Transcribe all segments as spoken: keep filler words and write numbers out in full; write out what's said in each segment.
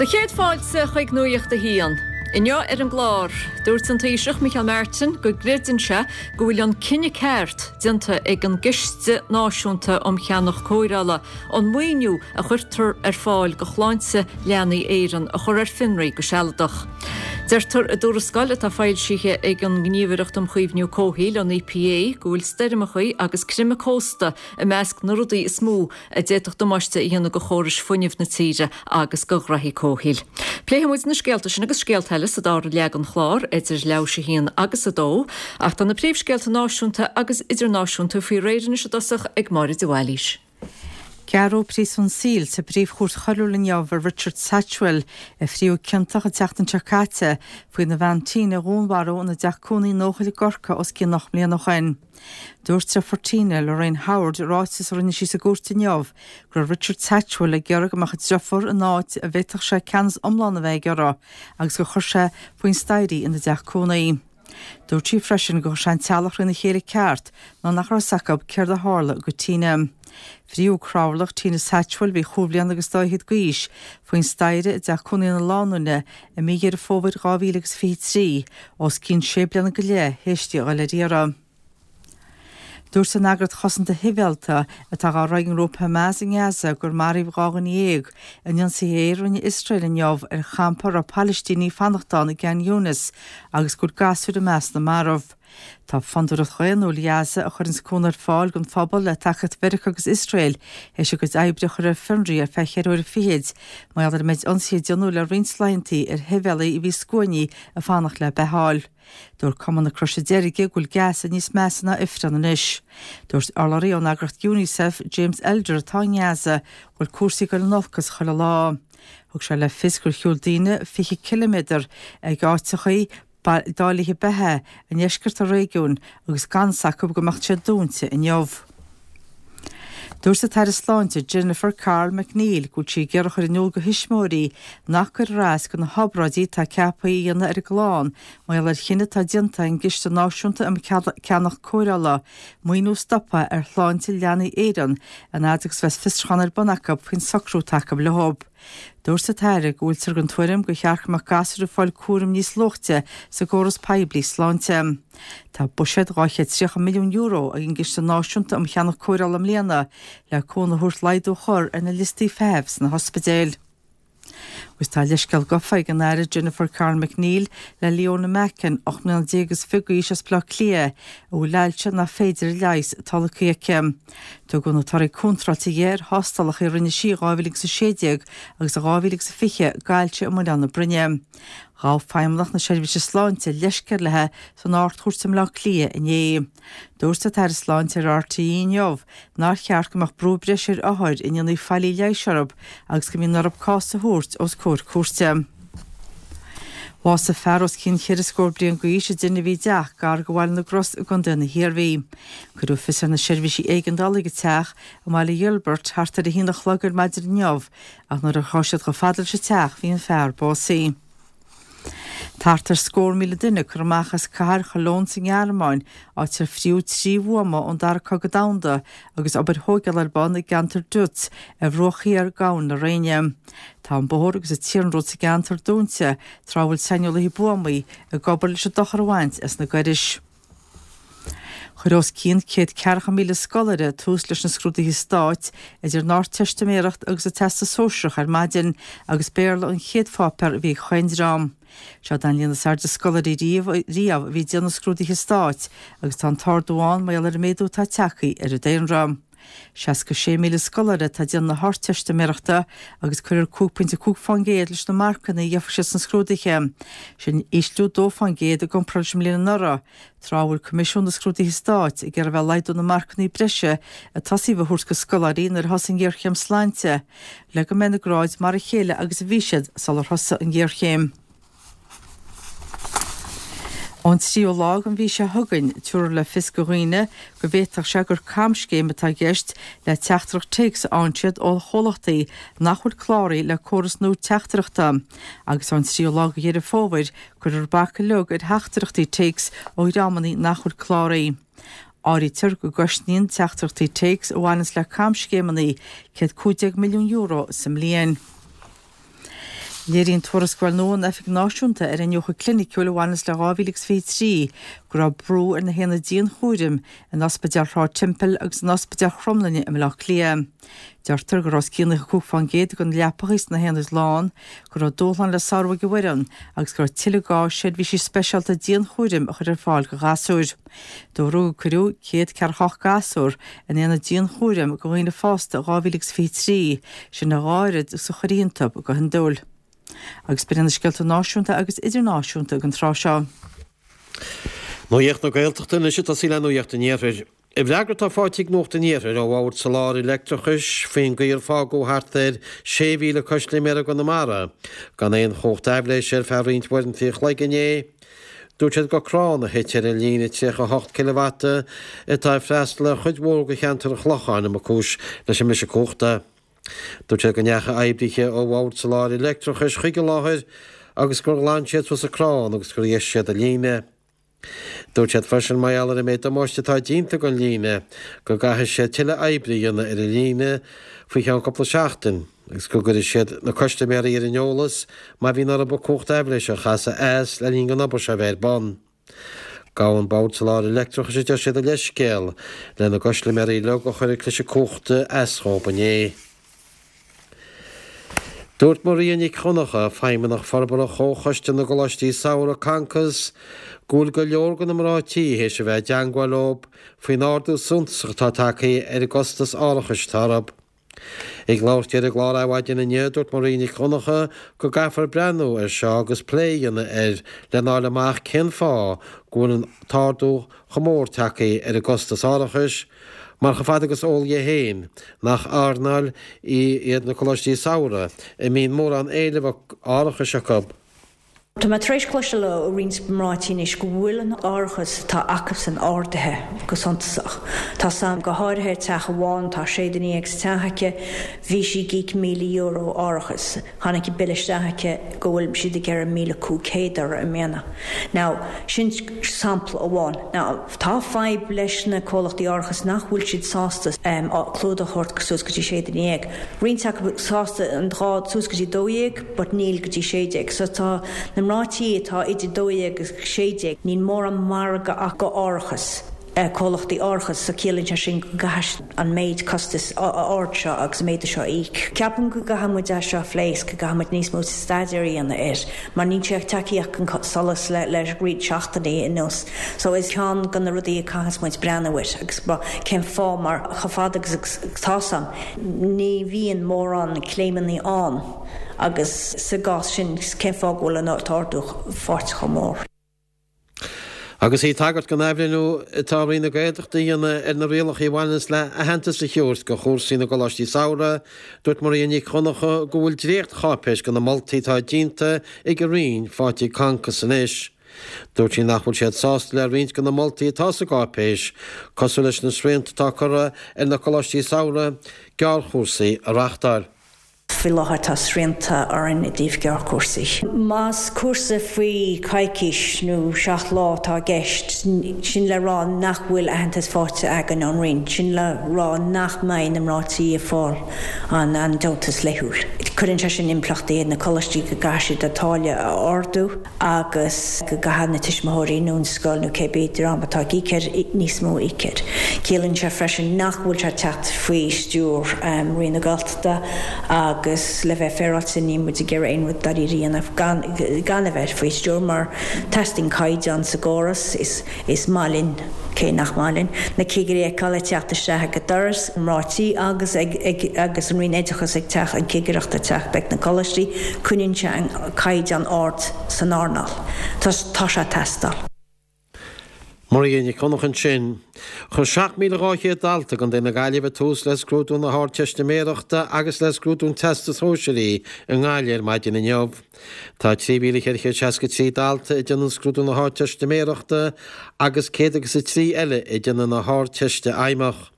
Do chéad fáilte chuig Nuacht a hAon. Inniu ar an gclár, dúirt an Taoiseach Micheál Martin go gcreideann sé go bhfuil an cinneadh ceart déanta ag an gCiste Náisiúnta um Cheannach Cóireála an maoiniú a chuirtear ar fáil do Shláinte Leanaí Éireann a chur ar fionraí go sealadach. Deirtear i dtuarascáil atá foilsithe ag an nGníomhaireacht um Chaomhnú Comhshaoil an EPA go bhfuil stoirmeacha agus creimeadh cósta i measc na rudaí is mó a d'fhéadfadh damáiste a dhéanamh do chórais fuinnimh na tíre agus do ghraithí comhshaoil. Pléifidh muid na scéalta sin agus scéalta eile sa dara leath den chlár idir leathuair théis a haon agus a dó, ach tá na príomhscéalta náisiúnta agus idirnáisiúnta faoi réir anois i dtosach ag Máire de Bhailís. Gearradh príosún saoil sa bPríomh-Chúirt Choiriúil inniu ar Richard Satchwell a fríodh ciontach an tseachtain seo caite faoina bhean Tina a dhúnmharú ina dteach cónaí in Eochaill i gCorcaigh os cionn ocht mbliana ó shin. Dúirt deirfiúr Tina, Lorraine Howard, i ráiteas a rinne sí sa gcúirt inniu go raibh Richard Satchwell ag iarraidh go mbeadh a deirfiúr in áit a bhféadfadh sé ceannas iomlán a bheith aige uirthi agus gur chuir sé faoin staighre í ina dteach cónaí. Dúirt sí freisin gur chuir sé an teaghlach thrína chéile ceart nuair nach raibh a fhios acu céard a tharla go Tina. Fríodh cnámharlach Tina Satchwell a bhí chúig bhliana agus dá fhichead d'aois faoin staighre i dteach cónaí na lánúine i mí Dheireadh Fómhair dhá mhíle agus fiche trí, os cionn sé bliana go leith théis di a dhul ar iarraidh. Dúirt an eagraíocht chosanta shibhialta atá dhá rith ag an ngrúpa Hamas i nGaza gur maraíodh dhá dhuine dhéag in ionsaithe aeir a rinne Iosrael inniu ar champa a raibh Palaistínigh ag fanacht ann i gCan Younis agus go bhfuil gasúir i measc na marbh. Tá Fondúireacht Dhaonnúil Ghaza, a chuireanns cúnamh ar fáil don phobal le tacaíocht Mheiriceá agus Iosrael, théis a gcuid oibre a chur ar fionraí ar feadh cheithre huaire fichid mar gheall ar an méid ionsaithe a déanadh le roinnt laethanta ar shibhialaigh a bhí scuainí ag fanacht le beatháil. Dúirt Cumann na Croise Deirge go bhfuil Gaza níos measa ná ifreann anois. Dúirt urlabhraí ón eagraíocht UNICEF, James Elder atá i nGaza, go bhfuil cúrsaí ag dul in olcas chuile lá. Thug sé le fios gur shiúil daoine fiche ciliméadar ag áiteachaí dáilithe beatha i ndeisceart an réigiúin agus gan fhios acu go mbeadh siad dúnta inniu. Dúirt an tAire Sláinte Jennifer Carroll MacNeill go bhfuil sí ag iarraidh a chur in iúl do thuismitheoirí nach gcuirfear as do na hobráidí atá ceaptha a dhéanamh ar a gclann mar gheall ar chinneadh atá déanta ag an gCiste Náisiúnta um Cheannach Cóireála maoiniú a stopadh ar Shláinte Leanaí Éireann an fhad agus bheas fiosrúchán ar bun acu faoin socrú atá acu leo. Dúirt an tAire go bhfuiltear den tuairim gur cheart go mbeadh gasúir ag fáil cúram níos luaithe sa gcóras poiblí sláinte. Tá buiséad dhá chéad tríocha milliún euro ag an gCiste Náisiúnta um Cheannach Cóireála i mbliana le cúnamh a thabhairt laghdú a chur ar na liostaí feithimh sna hospidéil. Agus tá leithscéal gafa ag an Aire Jennifer Carroll MacNeill le Leona Mackin, ocht mbliana déag is fiche d'aois as Baile Átha Cliath, a bhfuil ailse nach féidir a leigheas tolgtha aici. Tugadh na torthaí contráilte di ar thástálacha a rinne sí i dhá mhíle agus a sé déag agus i dhá mhíle agus a fiche d'ailse i muileann na broinne. Ghabh Feidhmeannacht na Seirbhíse Sláinte leithscéal léi san Ard-Chúirt i mBaile Átha Cliath inné. Dúirt an tAire Sláinte ar RTÉ inniu nár cheart go mbeadh brú breise ar othair a ndéanfaí faillí leighis orthu agus go mbíonn orthu cás a thabhairt os comhair cúirte. Bhásaigh fear os cionn cheithre scór bliain d'aois i dtine a bhí i dteach gar do Bhaile na gCros i gContae na hIarmhí. Cuireadh fios ar na seirbhísí éigeandála ag an teach i mBaile Ghiolbert thart ar a haon a chlog ar maidin inniu ach nuair a chuaigh siad chomh fada leis an teach bhí an fear básaithe. Thart ar scór míle duine curtha amach as cathair Chologne sa nGearmáin, áit ar fríodh trí bhuama ón Dara Cogadh Domhanda agus obair thógála ar bun i gceantar Deutz ar bhruach thiar d'Abhainn na Réine. Tá an bóthar agus an t-iarnród sa gceantar dúnta tráth a bhfuil saineolaithe buamaí ag obair leis an dochar a bhaint as na gairis. Chuir os cionn céad ceathracha míle scoláire tús leis na scrúduithe stáit idir an Ardteistiméireacht agus an Teastas Sóisearach ar maidin agus Béarla an chéad pháipéar a bhí ag chaon dream. Seo an líon is airde scoláirí riamh riamh a bhí ag déanamh scrúduithe stáit agus tá an t-ardú ann mar gheall ar an méadú atá tagtha ar an daonra. seasca sé míle scoláire atá ag déanamh na hArdteistiméireachta agus cuirfear cúig pointe cúig fán gcéad leis na marcanna a gheobhaidh siad sna scrúduithe. Sin ísliú dó fán gcéad i gcomparáid leis an mbliain anuraidh, tráth a bhfuil Coimisiún na Scrúduithe Stáit ag iarraidh a bheith ag laghdú na marcanna breise a tosaíodh a thabhairt do scoláirí nuair a thosaigh an ghéarchéim sláinte, le go mbeidh na gráid mar a chéile agus a bhí siad sular thosaigh an ghéarchéim. Ón tríú lá den mhí seo chugainn, tabharfar le fios do dhaoine go bhféadfadh sé gur camscéim atá i gceist le teachtaireacht téacs a fhaigheann siad ó chomhlachtaí nach bhfuil cláraithe le córas nua teachtaireachta, agus ón tríú lá de Dheireadh Fómhair, cuirfear bac uilig ar theachtaireachtaí téacs ó dhreamanna nach bhfuil cláraithe. Áirítear go gcosnaíonn teachtaireachtaí téacs a bhaineanns le camscéimeanna céad cúig déag milliún euro sa mbliain. Léiríonn tuarascáil nua an Oifig Náisiúnta ar Iniúchadh Cliniciúil a bhaineas le dhá mhíle agus fiche trí go raibh brú ar na haonaid dianchúraim in Ospidéal Shráid Temple agus in Ospidéal Chromghlinne i mBaile Átha Cliath. Deirtear go raibh os cionn nócha cúig fán gcéad de na leapacha sna haonaid lán, go raibh dúshlán le sárú ag an bhfoireann agus go raibh tuilleadh gá seirbhísí speisialta dianchúraim a chur ar fáil do ghasúir. Dúradh gur cuireadh céad ceathracha ocht gasúr in aonad dianchúraim do dhaoine fásta i dhá mhíle agus fiche trí, sin a dhá oiread is a chuirtí iontu go hiondúil. Agus b'in iad na scéalta náisiúnta agus idirnáisiúnta ag an tráth seo. Nuacht na Gaeltachta anois ag tosaí le Nuacht an Iarthair. I bhfreagra atá faighte ag Nuacht an Iarthair ó Bhord Soláthair Leictreachais faoin gcaoi ar fágadh thart ar sé mhíle custaiméir i gConamara gan aon chumhacht aibhléise ar feadh roinnt uaireanta an chloig inné, dúirt siad gur crann a thit ar an líne tríocha a hocht cileavata atá ag freastal ar chuid mhór de cheantar an Chlocháin a mba cúis leis an mbriseadh cumhachta. Dúirt siad go ndeachaigh oibrithe ó Bhord Soláthair Leictreachais chuig an láthair agus gur ghlan siad suas an crann agus gur dheisigh siad an líne. Dúirt siad freisin mar gheall ar an méid damáiste atá déanta don líne go gcaithfidh siad tuilleadh oibre a dhéanamh ar an líne faoi cheann cúpla seachtain agus go gcuirfidh siad na custaiméirí ar an eolas má bhíonn orthu cumhacht aibhléise a chasadh as le linn don obair seo a bheith ar bun. Gabhann Bord Soláthair Leictreachais a deir siad a leithscéal lena gcustaiméirí uilig a chuir an cliseadh cumhachta as dhóibh inné. Dúirt Maria Nic Dhonncha, Feidhmeannach Forbartha Chomhchoiste na gColáistí Samhraidh, Concos, go bhfuil go leor de na mná tí théis a bheith i dteangmháil leo faoin ardú suntasach atá tagtha ar an gcostas árachais atá orthu. Ag labhairt di ar an gclár Adhmhaidin inniu, dúirt Maria Nic Dhonncha go gcaithfear breathnú air seo agus plé a dhéanamh air lena fháil amach cén fáth go bhfuil an t-ardú chomh mór tagtha ar an gcostas árachais, mar chomh fada agus eol di féin nach earnáil iad na coláistí samhraidh a mbíonn mórán éileamh árachais acu. Tá mé tar éis cloisteáil ó roinnt mná tí anois go bhfuil an árachas atá acusan ardaithe go suntasach. Tá sam go háirithe teach amháin, tá sé duine déag sa teach aici, bhí sí ag íoc míle euro árachas. Tháinig an bille isteach aici go bhfuil siad ag iarraidh míle cúig chéad uirthi i mbliana. Now, sin sampla amháin. Now, tá fadhb leis na comhlachtaí árachais nach bhfuil siad sásta clúdach a thabhairt suas go dtí sé duine dhéag. Roinnt acu sásta an dhá suas go dtí dó dhéag but níl go dtí sé déag. So tá na mná tí atá idir dó dhéag agus sé déag, níl mórán margadh acu árachas, comhlachtaí árachais, so ciallaíonn sé sin go gcaithfidh an méid costais ard seo agus an méid seo a íoc. Ceapaim go gcaithfidh muid é seo a phlé is go gcaithfidh muid níos mó staidéir a dhéanamh air mar níl sé tagtha chun solais le le roinnt seachtainí anuas. So is ceann de na rudaí a caithfidh muid breathnú air agus cén fáth mar chomh fada agus atá 's a'm ní bhíonn mórán claimeanna ann agus sa gcás sin cén fáth go bhfuil an t-ardú faighte chomh mór. Agus í ag tagairt don athbhreithniú atá Roinn na Gaeltachta a dhéanamh ar na rialacha a bhaineanns le haitheantas a thabhairt do chúrsaí na gcoláistí samhraidh, dúirt Maria Nic Dhonncha go bhfuil dréacht-cháipéis de na moltaí atá déanta ag an Roinn faighte ag Concos anois. Dúirt sí nach bhfuil siad sásta le roinnt de na moltaí atá sa gcáipéis, cosúil leis na srianta atá curtha ar na coláistí samhraidh gearrchúrsaí a reáchtáil. Faoi láthair tá srianta orainn i dtaobh gearrchúrsaí. Más cúrsa faoi choicís nó seacht lá atá i gceist, sin le rá nach bhfuil aitheantas faighte againn ón Roinn, sin le rá nach mbeidh na mná tí ag fáil an deontas laethúil. Cuireann sé sin impleachtaí ar na coláistí go gcaithfidh siad a táille a ardú. agus go gcaithfidh na tuismitheoirí nó an scoil nó cébí dream atá ag íoc air níos mó a íoc air. Ciallaíonn sé freisin nach bhfuil sé ag teacht faoi stiúir Roinn na Gaeltachta agus le bheith féaráilte níl muid ag iarraidh aon rud dáiríre a dhéanamh gan gan a bheith faoi stiúir mar teastaíonn caighdeán sa gcóras. Is Is maith linn, cé nach maith linn, na cigirí a fheiceáil ag teacht isteach ag an doras, mná tí agus ag ag agus an Roinn Oideachais ag teacht, an cigireacht ag teacht ag na coláistí, coinníonn sé an caighdeán ard san earnáil. Tá tá sé ag teastáil. Maria Nic Dhonncha ansin. Chuir seacht míle dhá chéad dalta i gContae na Gaillimhe tús le scrúdú na hArdteistiméireachta agus le scrúdú an Teastais Shóisearaigh i nGaillimh ar maidin inniu. Tá trí mhíle ceithre chéad seasca trí dalta ag déanamh scrúdú na hArdteistiméireachta agus céad agus a trí eile ag déanamh na hArdteiste Fheidhmeach.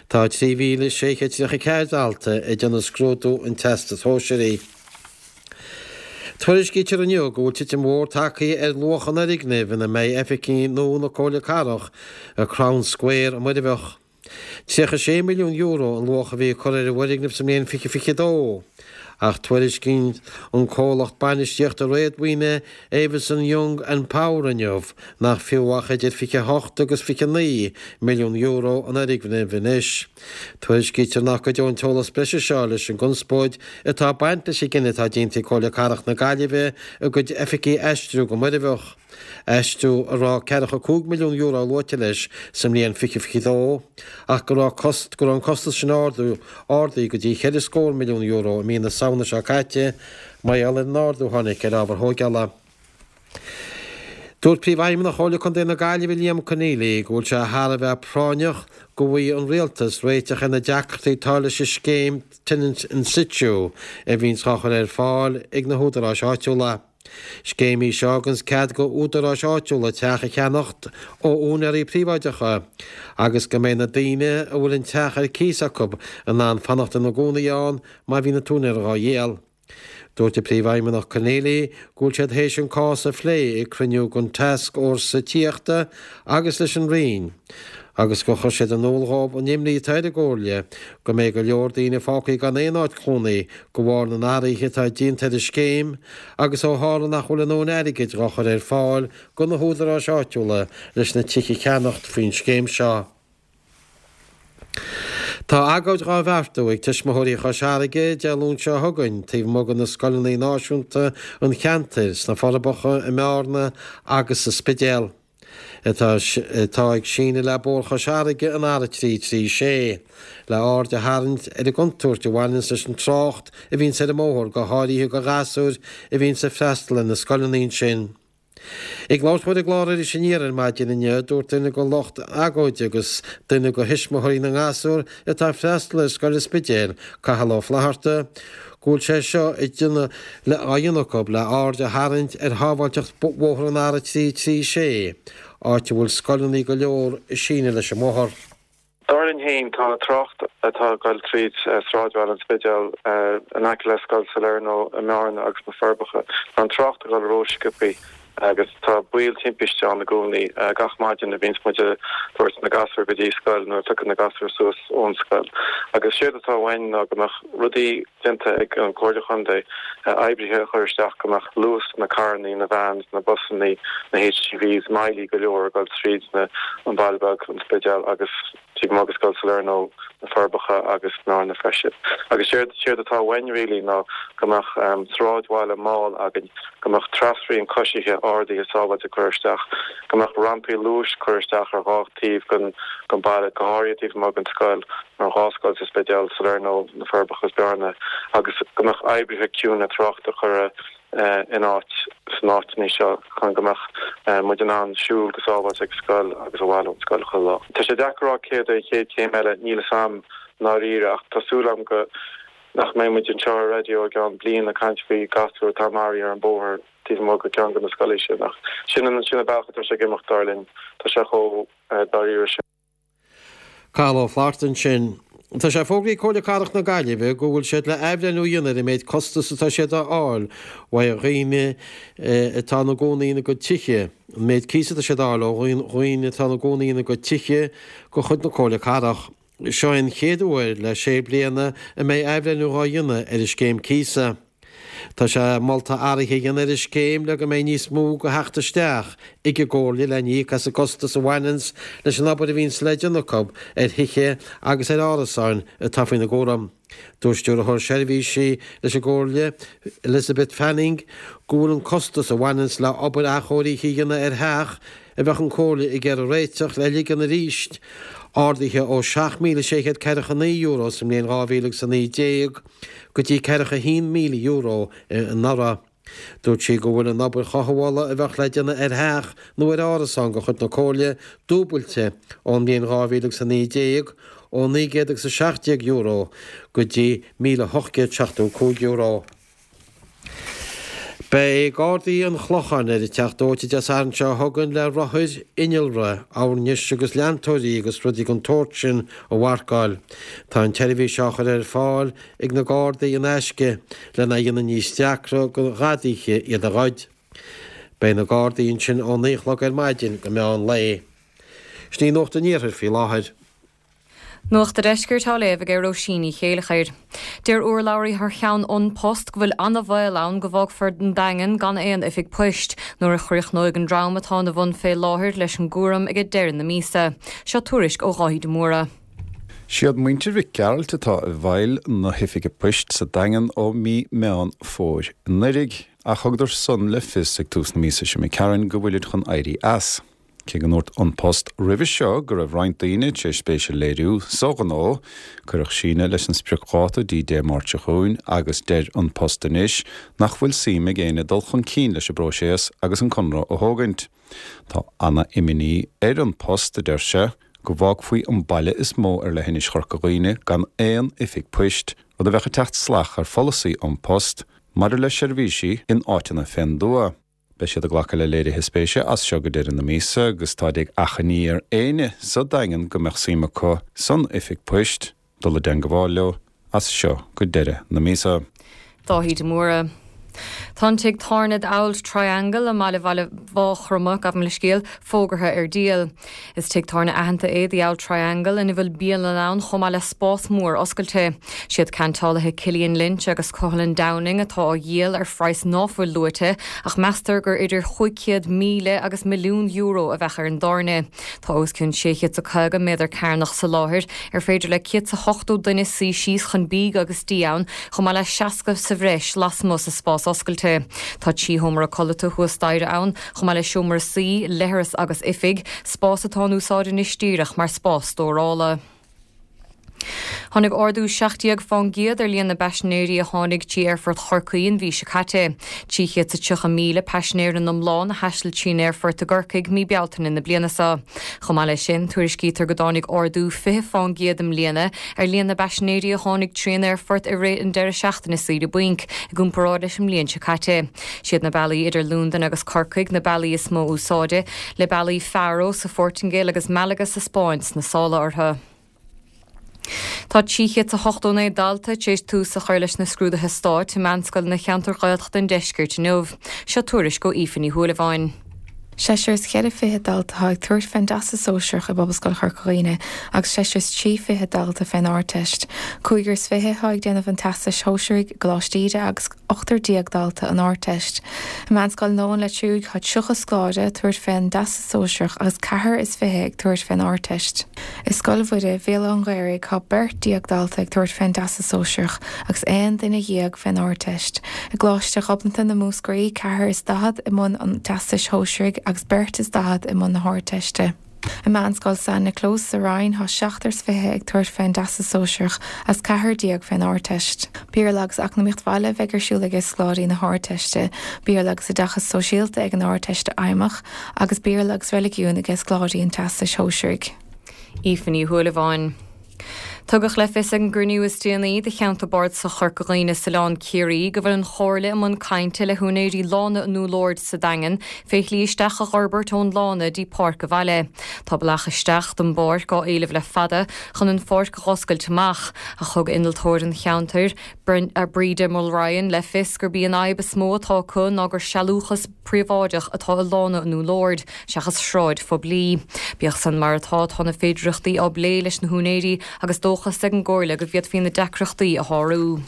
Tá trí mhíle sé chéad tríocha ceathair dalta ag déanamh scrúdú an Teastais Shóisearaigh. Tuairiscítear inniu go bhfuil titim mhór tagtha ar luach an fhoirgnimh ina mbeidh oifigí nua na Comhairle Cathrach i Crown Square i Muirbheach. tríocha sé milliún euro an luach a bhí curtha ar an bhfoirgneamh sa mbliain fiche fiche dó Ach tuairiscíonn an comhlacht bainistíochta réadmhaoine Avison Young and Power inniu nach fiú ach idir fiche a hocht agus fiche a naoi milliún euro an fhoirgneamh anois. Tuairiscítear nach gcuideoidh an t-eolas breise seo leis an gconspóid atá ag baint leis an gcinneadh atá déanta ag Comhairle Cathrach na Gaillimhe a gcuid oifigí a aistriú go Muirbheach. Aistriú a raibh ceathracha cúig milliún euro luaite leis sa mbliain fiche fiche dó, ach go raibh go raibh an costas sin ardú ardaithe go dtí cheithre scór milliún euro i mí na Samhna seo caite mar gheall ar an ardú a tháinig ar ábhair thógála. Dúirt Príomhfheidhmeannach Chomhairle Contae na Gaillimhe Liam Conneely go bhfuil sé thar a bheith práinneach go bhfaighidh an Rialtas réiteach ar na deacrachtaí atá leis an scéim Tenants in Situ a bhíonns á chur ar fáil ag na húdaráis áitiúla. Scéim í seo a thuganns cead go údaráis áitiúla teach a cheannacht ó úinéirí príobháideacha agus go mbeidh na daoine a bhfuil an teach ar cíos acu in ann fanacht ina gcónaí ann má bhíonn an t-úinéir dhá dhíol. Dúirt an Príomhfheidhmeannach Conneely go bhfuil siad théis an cás a phlé ag cruinniú den Tascfhórsa Tithíochta agus leis an Roinn agus gur chuir siad in iúl dhóibh an imní atá ar an gComhairle go mbeidh go leor daoine fágtha gan aon áit chónaí de bharr na n-athruithe atá déanta ar an scéim agus ó tharla nach bhfuil a ndóthain airgid dhá chur ar fáil go na húdaráis áitiúla leis na tithe a cheannacht faoin scéim seo. Tá agóid dhá bheartú ag tuismitheoirí Chois Fharraige Dé Luain seo chugainn taobh amuigh de na scoileanna náisiúnta an cheantair, sna Forbacha, i mBearna agus sa Spidéal. atá ag síneadh le Bóthar Chois Fharraige an R a trí trí sé, le aird a tharraingt ar an gcontúirt a bhaineanns leis an trácht a bhíonns ar an mbóthar, go háirithe go ghasúir a bhíonns ag freastal ar na scoileanna ansin. Ag labhairt dó ar an gclár Iris Aniar ar maidin inniu, dúirt duine de lucht agóide agus duine de thuismitheoirí na ngasúr atá ag freastal ar scoil an Spidéil, Cathal Ó Flatharta, go bhfuil sé seo á dhéanamh acu le aird a tharraingt ar shábháilteacht bhóthar an R a trí trí sé, áit a bhfuil scoileanna go leor ag síneadh leis an mbóthar. Dar linn féin, tá trácht atá ag dul tríd sráidbhaile an Spidéil, in aice le Scoil Salerno i mBearna agus na Forbacha, tá an trácht ag dul rósciobthaí agus tá baol timpiste ann i gcónaí. Gach maidin a bhíonns muid ag tabhairt na gasúr go dtí scoil nó ag piocadh na gasúr suas ón scoil. Agus séard atá uainn ná go mbeadh rudaí déanta ag an Comhairle Chontae, oibrithe a chur isteach go mbeadh luas na carrannaí, na vans, na busannaí, na HGVs moillithe go leor ag dul tríd na an baile beag, an Spidéal agus taobh amuigh de Scoil Salerno, na Forbacha agus Bearna freisin. Agus séard séard atá uainn really ná go mbeadh sráidbhaile mall againn, go mbeadh trasrian coisithe ardaithe sábháilte curtha isteach, go mbeadh rampaí luais curtha isteach ar dhá taobh den den baile, go háirithe taobh amuigh den scoil, nó dhá scoil sa Spidéal, Salerno, na Forbacha agus Bearna, agus go mbeadh oibrithe ciúine tráchta curtha in áit san áiteanna seo chun go mbeadh muid in ann siúl go sábháilte ag scoil agus abhaile ón scoil chuile lá. Tá sé deacair a rá céard é an chéad chéim eile, níl fhios a'm i ndáiríre ach tá súil a'm go nach mbeidh muid anseo ar raidió i gceann bliain ag caint faoi gasúr atá maraithe ar an bóthar taobh amuigh de ceann de na scoileanna sin ach sin an sin an bealach atá sé ag imeacht dar linn. Tá sé chomh dáiríre sin. Cathal Ó Flatharta ansin. Tá sé fógraithe ag Comhairle Cathrach na Gaillimhe go bhfuil siad le athbhreithniú a dhéanamh ar an méid costas atá siad a fháil uaidh dhaoine atá ina gcónaí ina gcuid tithe, an méid cíosa atá siad a fháil ó dhaoine atá ina gcónaí ina gcuid tithe de chuid na Comhairle Cathrach. Seo é an chéad uair le sé bliana a mbeidh athbhreithniú dhá dhéanamh ar an scéim cíosa. Tá sé molta athruithe a dhéanamh ar an scéim le go mbeidh níos mó de theacht isteach ag an gComhairle lena íoc as an gcostas a bhaineanns leis an obair a bhíonns le déanamh acu ar thithe agus ar árasáin atá faoina gcúram. Dúirt Stiúrthóir Seirbhísí leis an gComhairle, Elizabeth Fanning, go bhfuil an costas a bhaineanns le obair athchóirithe a dhéanamh ar theach a bheadh an Chomhairle ag iarraidh réiteach le ligean arís ardaithe ó seacht míle sé chéad ceathracha naoi euro sa mbliain dhá mhíle agus a naoi déag go dtí ceathracha a haon míle euro anuraidh. Dúirt sí go bhfuil an obair chothabhála a bheadh le déanamh ar theach nó ar árasán de chuid na Comhairle dúbailte ón mbliain dhá mhíle agus a naoi déag, ó naoi gcéad agus a seacht déag euro go dtí míle ocht gcéad seachtó a cúig euro. Beidh Gardaí an Chlocháin ar an Teach Dóite Dé Sathairn seo chugainn le rothair, innealra, oirnis agus leantóirí agus rudaí den tsórt sin a mharcáil. Tá an tseirbhís á chur ar fáil ag na Gardaí in aisce lena dhéanamh níos deacra do ghadaithe iad a ghoid. Beidh na Gardaí ansin ó naoi a chlog ar maidin go meán lae. Sin í Nuacht an Iarthair faoi láthair. Nuacht an Deiscirt á léamh ag Róisín Ní Chéilleachair. Deir urlabhraí thar cheann An Post go bhfuil an-bhaol ann go bhfágfar an Daingean gan aon oifig poist nuair a chríochnóidh an dream atá ina bhun fé láthair leis an gcúram ag deireadh na míosa. Seo tuairisc ó Dháithí de Mórdha. Siad muintir Mhic Gearailt atá i bhfeighil na hoifige poist sa Daingean ó mí Meán Fómhair anuraidh, ach thugadar san le fios ag tús na míosa seo imigh tharainn go bhfuilid chun éirí as. Cé go ndúirt An Post roimhe seo go raibh roinnt daoine tar éis spéis a léiriú sa ghnó, cuireadh síneadh leis an spriocdháta dtí Dé Máirt seo chugainn agus deir An Post anois nach bhfuil suim ag éinne dul chun cinn leis an bpróiseas agus an conradh a thógaint. Tá ana-imní ar An Post, a deir sé, go bhfágfaí an baile is mó ar leithinis Chorca Dhuibhne gan aon oifig poist, rud a bheadh ag teacht salach ar pholasaí An Post maidir le seirbhísí in áiteanna fén dtuath. Beidh siad ag glacadh le léirithe spéise as seo go deireadh na míosa agus táid ag achainí ar éinne sa Daingean go mbeadh suim acu san oifig poist dul i dteagmháil leo as seo go deireadh na míosa. Dáithí de Mórdha. Tá an tigh tábhairne The Auld Triangle i mbaile bhaile Mháchroma gabh mo leithscéal fógartha ar díol. Is tigh tábhairne aitheanta é The Auld Triangle ina bhfuil bialann ann chomh maith le spás mór oscailte. Siad ceantálaithe Cillian Lynch agus Cohalan Downing atá á dhíol ar phraghas ná fuil luaite ach meastar gur idir chúig chéad míle agus milliún euro a bheadh ar an dtábhairne. Tá os cionn sé chéad is caoga méadar cearnach sa láthair ar féidir le céad is ochtó duine suí síos chun bídh agus dí ann chomh maith le seasca sa bhreis lasmuigh sa spás oscailte. Tá trí sheomra codlata thuas staighre ann, chomh maith le seomra suí, leithreas agus oifig, spás atá in úsáid anois díreach mar spás stórála. Tháinig ardú seacht déag fán gcéad ar líon na bpaisinéirí a tháinig trí Aerfort Chorcaí an mhí seo caite. Trí chéad is tríocha míle paisinéir in iomlán a thaistil trín aerfort i gCorcaigh mí Bealtaine na bliana seo. Chomh maith leis sin, tuairiscítear go dtáinig ardú fiche fán gcéad i mbliana ar líon na bpaisinéirí a tháinig trín aerfort i rith an deireadh seachtaine saoire bainc, i gcomparáid leis an mbliain seo caite. Siad na bealaí idir Londain agus Corcaigh na bealaí is mó úsáide, le bealaí Faro sa Phortaingéil agus Malaga sa Spáinn sna sála orthu. Tá trí chéad is a hochtó naoi dalta tar éis tús a chur leis na scrúduithe stáit i meánscoileanna cheantar Ghaeltacht an Deiscirt inniu. Seo tuairisc ó Aoife Ní Shúilleabháin. Seisear is ceithre fiche dalta atá ag tabhairt fén dTeastas Sóisearach i bPobalscoil Chorca Dhuibhne agus seisear is trí fiche dalta fén Ardteist. Cúigear is fiche atá ag déanamh an Teastais Shóisearaigh i gColáiste Íde agus ochtar déag dalta an Ardteist. I Meánscoil an Leitir Fraic tá tríocha scoláire ag tabhairt fén dTeastas Sóisearach agus ceathrar is fiche ag tabhairt fén Ardteist. I Scoil Mhuire, Bhéal Átha an Ghaorthaidh tá beirt déag dalta ag tabhairt fén dTeastas Sóisearach agus aon duine dhéag fén Ardteist. I gColáiste Ghobnatan i Múscraí, ceathrar is daichead i mbun an Teastais Shóisearaigh agus beirt is daichead i mbun na hArdteiste. I Meánscoil San Nioclás sa Rinn tá seachtar is fiche ag tabhairt fén dTeastas Sóisearach agus ceathrar déag fén Ardteist. Béarla agus Eacnamaíocht Bhaile a bheidh ar siúl ag scoláirí na hArdteiste, Béarla agus Oideachas Sóisialta ag an Ardteiste Fheidhmeach agus Béarla agus Reiligiún ag scoláirí an Teastais Shóisearaigh. Aoife Ní Shúilleabháin. Tugadh le fios ag an gcruinniú is déanaí de Cheantar Bardasach Chorca Dhuibhne is Oileán Ciarraí go bhfuil an Chomhairle i mbun cainte le húinéirí Lána an Úll Aird sa Daingean fé shlí isteach a dh'fhorbairt ón lána dtí páirc an bhaile. Tá bealach isteach don bpáirc á éileamh le fada chun an pháirc a dh'oscailt amach, ach thug innealtóir an cheantair, Breda Mulryan, le fios gurb í an fhadhb is mó atá acu ná gur sealúchas príobháideach atá i Lána an Úll Aird seachas sráid phoiblí. Bíodh san mar atá, tá na féidearthachtaí á bplé leis na húinéirí agus dóchas ag an gComhairle go bhféadfaí na deacrachtaí a shárú.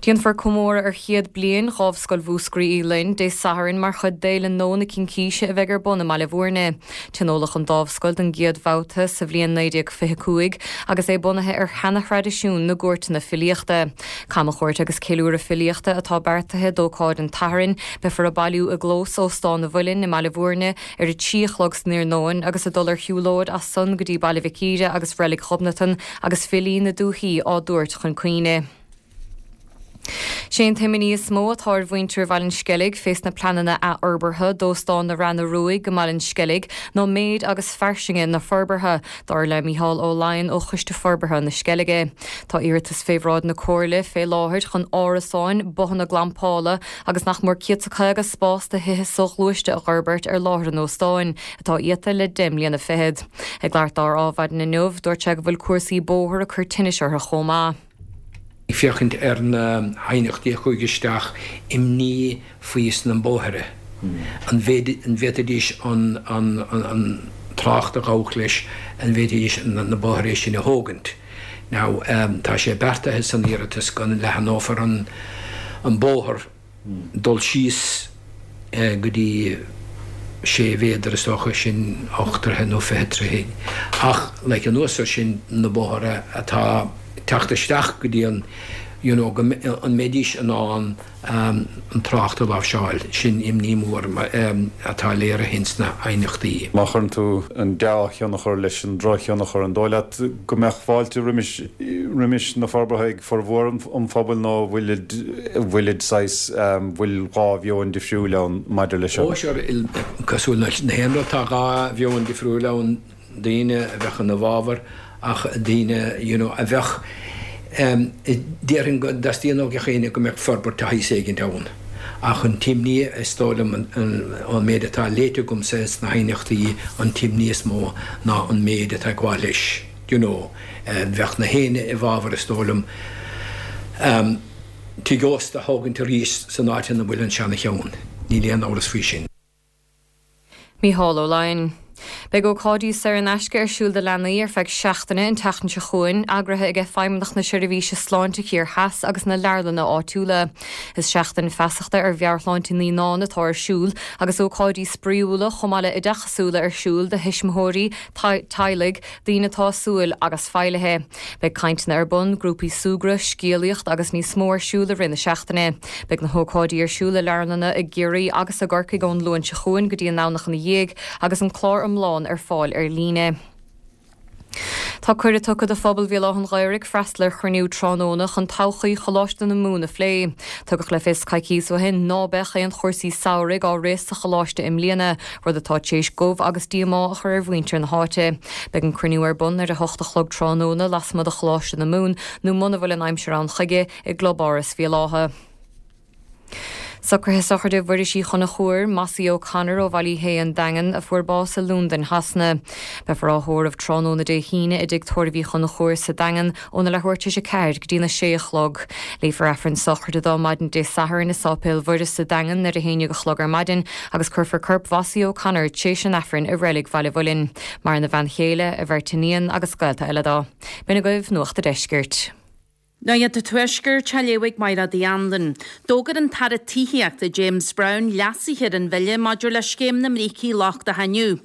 Déanfar comóradh ar chéad bliain Dhámhscoil Mhúscraí Uí Fhloinn Dé Sathairn mar chuid d'Fhéile Nua na Cincíse a bheidh ar bun i mBaile Bhúirne. Tionóladh an Dámhscoil don gcéad bhabhta sa bhliain naoi déag fiche cúig agus é bunaithe ar sheana-thraidisiún na gcúirteanna filíochta. Camchuairt agus ceiliúradh filíochta atá beartaithe d'ócáid an tSathairn. Beifear ag bailiú i gclós Óstán an Mhuilinn i mBaile Bhúirne ar a trí a chlog san iarnóin agus ag dul ar shiúlóid as san go dtí Baile Mhic Íre agus Reilig Ghobnatan agus filí na dúichí á dtabhairt chun cuimhne. Sé an t-imní is mó atá ar mhuintir Bhaile an Sceilg fés na pleananna athfhorbartha d'Óstán na Reanna Ruaidh i mBaile an Sceilg ná méid agus fairsinge na forbartha, dar le Mícheál Ó Laighin ó Choiste Forbartha na Sceilge. Tá iarratas fé bhráid na Comhairle fé láthair chun árasáin, bothanna glampála agus nach mór céad 's a caoga spás do thithe soghluaiste a dh'fhorbairt ar láthair an óstáin, atá iata le deich mbliana fichead. Ag labhairt dó ar Adhmhaidin inniu, dúirt sé go bhfuil cúrsaí bóthair ag cur tinnis orthu chomh maith. Ag féachaint ar na haighneachtaí a chuaigh isteach, imní faoi sna bóithre, an bhféadfaidís an trácht a ghabhadh leis, an bhféadfaidís na bóithre sin a thógaint. Now, tá sé beartaithe san iarratas go leathnófar an bóthar dul síos go dtí sé mhéadar is dócha, sin ocht dtroithe nó fiche troithe, ach like anuas ar sin na bóithre atá teacht isteach go dtí an you know go an mbeidís in ann an trácht a láimhseáil, sin imní mór atá léirithe ins na haighneachtaí. Má chuireann tú an dea-thionchar leis an drochthionchar, an dóigh leat go mbeadh fáilte roimis roimis na forbartha ag formhór an phobail nó bhfuilid bhfuilid saghas bhfuil dhá mheon difriúil ann maidir leis seo? Ó sure, cosúil le haon rud tá dhá mheon difriúil ann, daoine a bheadh ina bhfabhar ach daoine you know a bheadh Déarfainn go dteastaíonn ó gach éinne go mbeadh forbairt de shaghas éigint ann, ach an t-imní, is dóigh liom, ón méid atá léite agamsa sna haighneachtaí, an t-imní is mó ná an méid atá ag gabháil leis, you know. Bheadh na héinne i bhfabhar, is dóigh liom, tigh ósta a thógaint arís san áit ina bhfuil an seana-cheann, níl aon amhras faoi sin. Mícheál Ó Laighin. Beidh ócáidí saor in aisce ar siúl do leanaí ar feadh seachtaine an tseachtain seo chugainn, eagraithe ag Feidhmeannacht na Seirbhíse Sláinte Thiar Theas agus na leabharlanna áitiúla. Is seachtain feasachta ar mheabhairshláinte naíonán atá ar siúl agus ócáidí spraíúla chomh maith le oideachasúla ar siúl do thuismitheoirí, teaghlaigh, daoine atá ag súil agus feighlithe. Beidh cainteanna ar bun, grúpaí súgradh, scéalaíocht agus níos mó ar siúl i rith na seachtaine. Beidh na hócáidí ar siúl i leabharlanna i gCiarraí agus i gCorcaigh ón Luan seo chugainn go dtí an Domhnach ina dhiaidh agus an clár iomlán ar fáil ar líne. Tá cuireadh tugtha do phobal Bhéal Átha an Ghaorthaidh freastal ar chruinniú tráthnóna chun todhchaí Choláiste na Mumhan a phlé. Tugadh le fios coicíos ó shin ná beadh aon chúrsaí samhraidh á rith sa choláiste i mbliana, rud atá tar éis gomh agus díomá a chur ar mhuintir na háite. Beidh an cruinniú ar bun ar a hocht a chlog tráthnóna lasmuigh de Choláiste na Mumhan nó muna bhfuil an aimsir ann chuige i gClubáras Bhéal Átha. Socruithe sochraide Mhuiris Uí Chonchúir, Mossie O'Connor ó Bhaile Uí Shé an Daingean, a fuair bás i Londain Shasana. Beifear á thórramh tráthnóna Dé hAoine i dtigh tórraimh Uí Chonchúir sa Daingean óna leathuair tar éis a ceathair go dtína sé a chlog. Léifear Aifreann sochraide dó maidin Dé Sathairn i Sáipéal Mhuire sa Daingean ar a haon déag a chlog ar maidin agus cuirfear corp Mhossie O'Connor tréis an Aifrinn i reilig Bhaile Mhuilinn. Maireann a bhean chéile, a bheirt iníon agus gaolta eile dó. B'in agaibh Nuacht an Deiscirt. Nuacht an Tuaiscirt á léamh ag Mairéad Uí Anluain. D'fhógair an tAire Tithíochta James Browne leasuithe ar an bhille maidir le scéim na mbrící lochtacha inniu.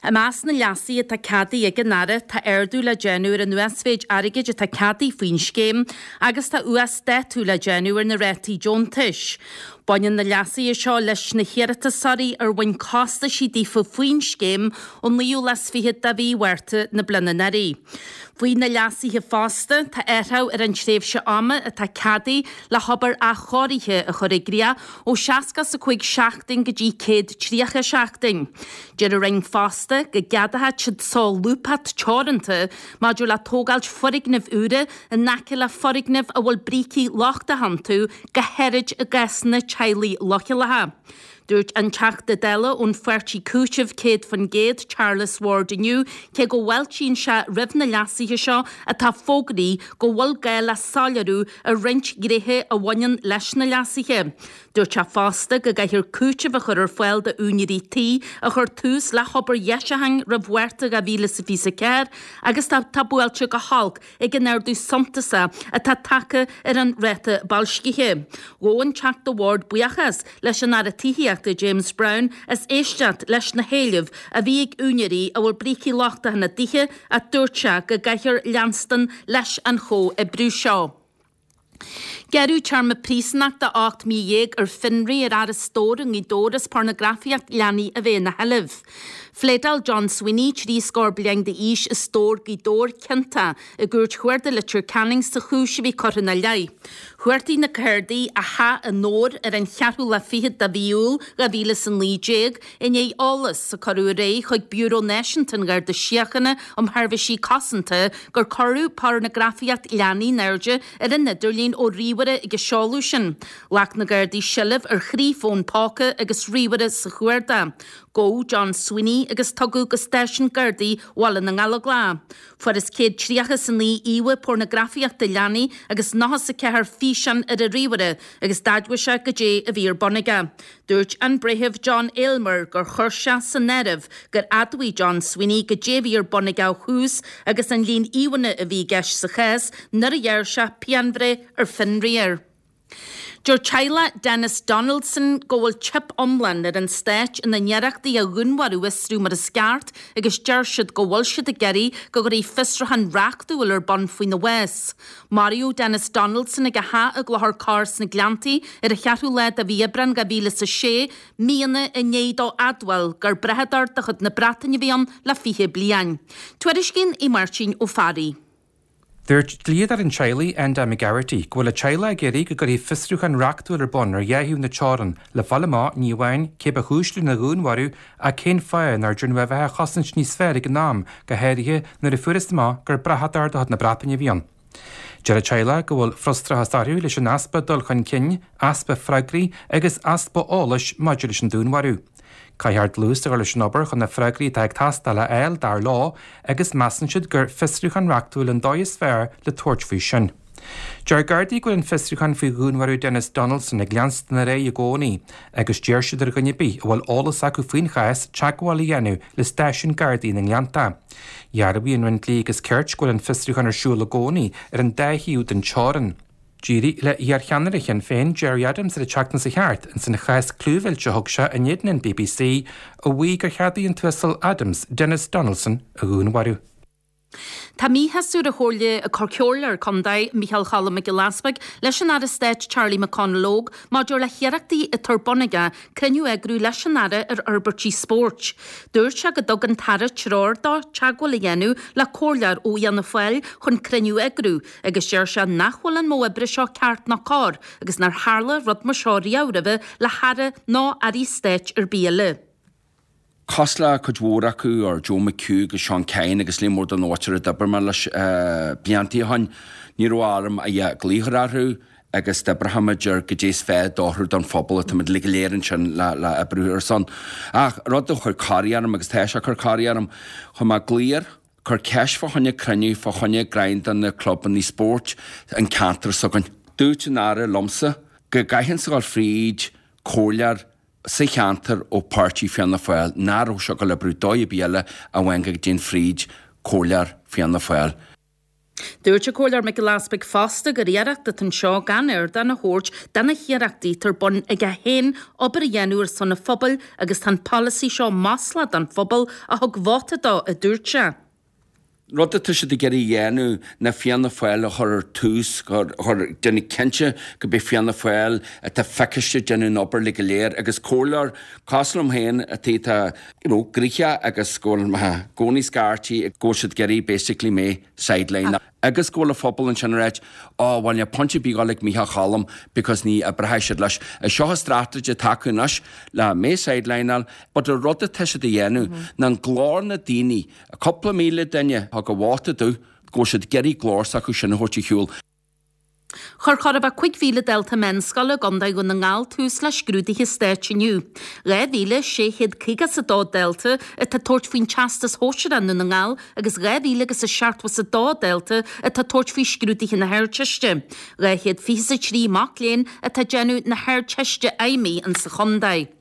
I measc na leasuithe atá ceadaithe ag an Aire tá ardú le déanamh ar an uasmhéid airgid atá ceadaithe faoin scéim agus tá uasdátú le déanamh ar na rátaí deontais. Baineann na leasuithe seo leis na hiarratasóirí ar bhain costaisí daofa faoin scéim ón naoú lá is fiche de mhí Mhárta na bliana anuraidh. Faoi na leasuithe fosta, tá athrú ar an tréimhse ama atá ceadaithe le hobair athchóirithe a chur i gcrích ó seasca is a cúig seachtain go dtí céad tríocha seachtain. Deir an Roinn fosta go gceadóidh siad solúbthacht teoranta maidir le tógáilt foirgnimh úra in aice le foirgnimh a bhfuil brící lochtacha iontu, go háirid i gcásanna teaghlaigh leochaileacha. Dúirt an Teachta Dála ón pháirtí Cúiteamh céad faoin gcéad, Charles Ward inniu, cé go bhfáiltíonn sé roimh na leasuithe seo atá fógraithe go bhfuil gá le soiléiriú ar roinnt gnéithe a bhaineann leis na leasuithe. Dúirt sé fosta go gcaithfear cúiteamh a chur ar fáil d'úinéirí tí a chuir tús le hobair dheisiúcháin roimh Mhárta dhá mhíle is a fiche a ceathair agus atá buailte go holc ag an ardú suntasach atá tagtha ar an ráta boilscithe. Ghabh an Teachta Ward buíochas leis an Aire Tithíochta James Browne as éisteacht leis na héilimh a bhí ag úinéirí a bhfuil brící lochtacha ina dtithe ach dúirt sé go gcaithfear leanstan leis an chomhoibriú seo. Gearradh téarma príosúnachta ocht mí dhéag ar fionraí ar fhear as Dobhar i nGaoth Dobhair as pornagrafaíocht leanaí a bheith ina sheilbh. Phléadáil John Sweeney, trí scór bliain d'aois as Dobhar, Gaoth Dobhair, ciontach i gCúirt Chuarda Leitir Ceanainn sa chúis a bhí curtha ina leith. Chuartaigh na Gardaí a theach i nDobhar ar an cheathrú lá fichead de mhí Iúil dhá mhíle is a naoi déag i ndiaidh eolas a cuireadh ar aghaidh chuig Biúró Náisiúnta an Gharda Síochána um Sheirbhísí Cosanta gur cuireadh pornagrafaíocht leanaí in airde ar an idirlíon ó ríomhaire ag an seoladh sin. Ghlac na Gardaí seilbh ar thrí fón póca agus ríomhaire sa chuardach. Gabhadh John Sweeney agus tugadh go stáisiún Gardaí Bhaile na nGallóglach. Fuarthas céad tríocha is a naoi íomha pornagrafaíochta leanaí agus nócha is a ceathair físeán ar a ríomhaire agus d'admhaigh sé goidé a bhí ar bun aige. Dúirt an Breitheamh John Aylmer gur chuir sé san áireamh gur admhaigh John Sweeney goidé a bhí ar bun aige ó thús agus an líon íomhánna a bhí i gceist sa chás nuair a ghearr sé pianbhreith ar fionraí air. Deir teaghlach Denis Donaldson go bhfuil teip iomlán ar an stát ina n-iarrachtaí a dhúnmharú a fhiosrú mar is ceart agus deir siad go bhfuil siad ag iarraidh go gcuirfí fiosrúchán reachtúil ar bun faoina bhás. Maraíodh Denis Donaldson ag a theach i gClochar Corr sna Gleanntaí ar an cheathrú lá de mhí Aibreán dhá mhíle is a sé, míonna i ndiaidh dó admháil gur brathadóir de chuid na Breataine a bhí ann le fiche bliain. Tuairiscíonn Aodh Máirtín Ó Fearraigh. Dúirt dlíodóir an teaghlaigh Enda McGarrity go bhfuil a teaghlach ag iarraidh go gcuirfí fiosrúchán reachtúil ar bun ar dhá thaobh na teorann le fáil amach ní amháin cé ba chúis lena dhúnmharú ach cén fáth nár déanadh a bheith á chosaint níos fearr ag an am, go háirithe nuair a fuarthas amach gur brathadóir de chuid na Breataine a bhí ann. Deir an teaghlach go bhfuil frustrachas orthu leis an easpa dul chun cinn, easpa freagraí agus easpa eolais maidir leis an dúnmharú. Caithfear dlús a chur leis an obair chun na freagraí atá ag teastáil a fháil, dar leo, agus measann siad gur fiosrúchán reachtúil an dóigh is fearr le tabhairt faoi sin. Deir Gardaí go bhfuil an fiosrúchán faoi dhúnmharú Denis Donaldson ag leanstan ar aghaidh i gcónaí agus d'iarr siad ar dhuine ar bith a bhfuil eolas acu faoin chás teagmháil a dhéanamh le stáisiún Gardaí na nGleannta. Dhearbhaigh an Roinn Dlí agus Cirt go bhfuil an fiosrúchán ar siúl i gcónaí ar an dá thaobh den teorainn. D'éirigh le hiarcheannaire Shinn Féin Gerry Adams ar an tseachtain seo thart ins an chás clúmhillte a thug sé in éadan an B B C a mhaígh gur cheadaigh an tUasal Adams Denis Donaldson a dhúnmharú. Tá míshásamh ar an Chomhairleoir Contae Micheál Choilm Mac Giolla Easbuig leis an Aire Stáit Charlie McConalogue maidir le hiarrachtaí atá ar bun aige cruinniú a eagrú leis an Aire ar fhorbairtí spóirt. Dúirt sé go dtug an tAire treoir dó teagmháil a dhéanamh le comhairleoir ó Fhianna Fáil chun cruinniú a eagrú, agus deir sé nach bhfuil an modh oibre seo ceart ná cóir agus nár tharla rud mar seo riamh roimhe le haire ná airí stáit ar bith eile. Cosúil le cuid mhór acu ar Joe McHugh agus Seán Kyne agus líon mór den áit a d'oibir mé leis blianta ó shin, ní raibh orm a dhath glaoch orthu agus d'oibreoimid ar goidé is fearr d'athrú don phobal atá muid go léir ansin le le oibriú ar son. Ach rud a chuir corraí orm agus tá sé ag cur corraí orm, chuir mé glaoch air, cur ceist fá choinne cruinniú fá choinne greim de na clubanna spóirt an ceantar s'againn. Dúirt an Aire liomsa go gcaithfinnse dul fríd comhairleoir sa cheantar ó páirtí Fianna Fáil, nach raibh sé ag dul oibriú dóigh ar bith eile amháin go dtéinn fríd comhairleoir Fianna Fáil. Dúirt an Comhairleoir Mac Giolla Easbuig fosta gur iarracht atá anseo gan ardán a thabhairt do na hiarrachtaí atá ar bun aige féin obair a dhéanamh ar son an phobail agus tá an polasaí seo maslach don phobal a thug vóta dó, a dúirt sé. Rud atá siad ag iarraidh a dhéanamh ná Fianna Fáil a chur ar tús, chur déanamh cinnte go mbeidh Fianna Fáil atá feiciste déanamh an obair le go léir agus comhairleoir cosúil liom féin atá atá you know, gnoitheach agus go bhfuil mé i gcónaí scairtí go bhfuil siad ag iarraidh basically mé sideline agus go bhfuil an phobal ansin ag ráit ó bhuel níl point ar bith dul ag Micheál Choilm because ní oibreoidh siad leis. Is seo an strategy atá acu anois le mé sidelineáil, but an rud atá siad a dhéanamh ná an glór na daoine, cúpla míle duine a thug a vóta dó, go bhfuil siad ag iarraidh glór s'acu sin a thabhairt ar shiúl. Chuir chóir a bheith cúig mhíle dalta meánscoile i gContae Dhún na nGall tús le scrúduithe stáit inniu. Dhá mhíle sé chéad caoga is a dó dalta atá ag tabhairt faoin Teastas Shóisearach i nDún na nGall agus dhá mhíle agus a seachtó is a dó dalta atá ag tabhairt faoi scrúduithe na hArdteiste. Dhá chéad fiche is a trí mac léinn atá ag déanamh na hArdteiste Fheidhmí insa chontae.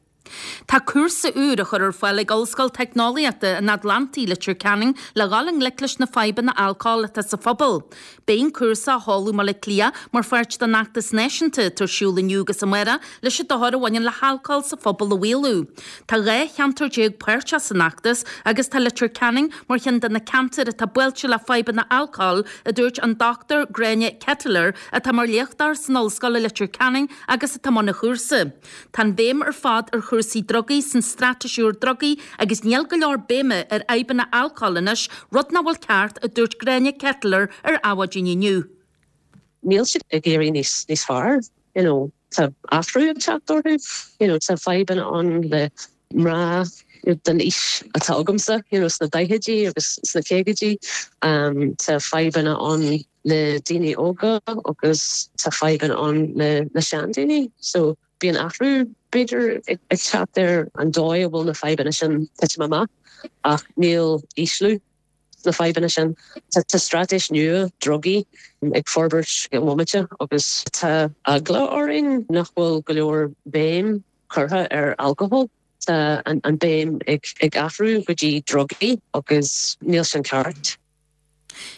Tá cúrsa úr á chur ar fáil ag Ollscoil Teicneolaíochta an Atlantaigh Leitir Ceanainn le dhul i ngleic leis na fadhbanna alcóil atá sa phobal. Beidh an cúrsa á sheoladh i mBaile Átha Cliath mar pháirt den fheachtas náisiúnta atá ar siúl inniu agus amárach leis an dochar a bhaineann le halcól sa phobal a mhaolú. Tá dhá cheantar déag páirteach san fheachtas agus tá Leitir Ceanainn mar cheann de na ceantair atá buailte le fadhbanna alcóil, a dúirt an Dochtúir Gráinne Ketteler atá mar léachtóir san Ollscoil i Leitir Ceanainn agus atá i mbun an chúrsa. Tá an bhéim ar fad ar chúrsaí drugaí san straitéis úr drugaí agus níl go leor béime ar fhadhbanna alcóil anois, rud nach bhfuil ceart, a dúirt Gráinne Ketteler ar Adhmhaidin inniu. Níl siad ag éirí níos níos fearr, you know, tá athrú ag teacht orthu, you know, tá fadhbanna ann le mná den aois atá agamsa, you know, sna daichidí agus sna caogaidí, um, tá fadhbanna ann le daoine óga agus tá fadhbanna ann le le seandaoine. So Bíonn athrú b'fhéidir ag teacht ar an dóigh a bhfuil na fadhbanna sin titim amach ach níl ísliú sna fadhbanna sin. Tá straitéis nua drugaí ag forbairt i bhomaite agus tá eagla orainn nach bhfuil go leor béim curtha ar alcohol. Tá an, an béim ag, ag athrú go dtí drugaí agus níl sin ceart.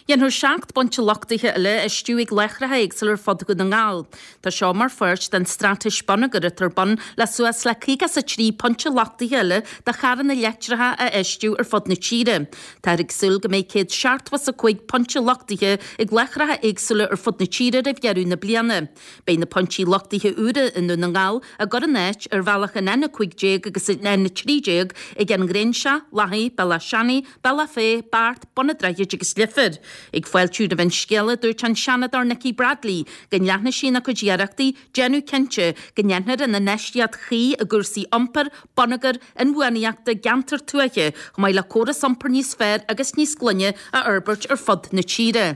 Dhéanfar seacht bpointe luchtaithe eile a fheistiú ag láithreacha éagsúla ar fud Dhún na nGall. Tá seo mar pháirt den straitéis bonneagair atá ar bun le suas le caoga is a trí pointe luchtaithe eile do charranna leictreacha a fheistiú ar fud na tíre. Táthar ag súil go mbeidh céad seachtó is a cúig pointe luchtaithe ag láithreacha éagsúla ar fud na tíre roimh dheireadh na bliana. Beidh na pointí luchtaithe úra i nDún na nGall á gcur in áit ar bhealach an N a cúig déag agus an N a trí déag ag An Ghréinseach, Lathaí, Bealach Seanaidh, Bealach Féich, Beart, Bun an Droichid agus Leifear. Ag fáiltiú roimh an scéala, dúirt an Seanadóir Nikki Bradley go ndearna sí ina cuid iarrachtaí déanamh cinnte go ndéanfar an infheistíocht chuí i gcúrsaí iompair, bonneagair, inbhuanaitheachta i gceantair tuaithe, chomh maith le córas iompair níos fearr agus níos glaine a fhorbairt ar fud na tíre.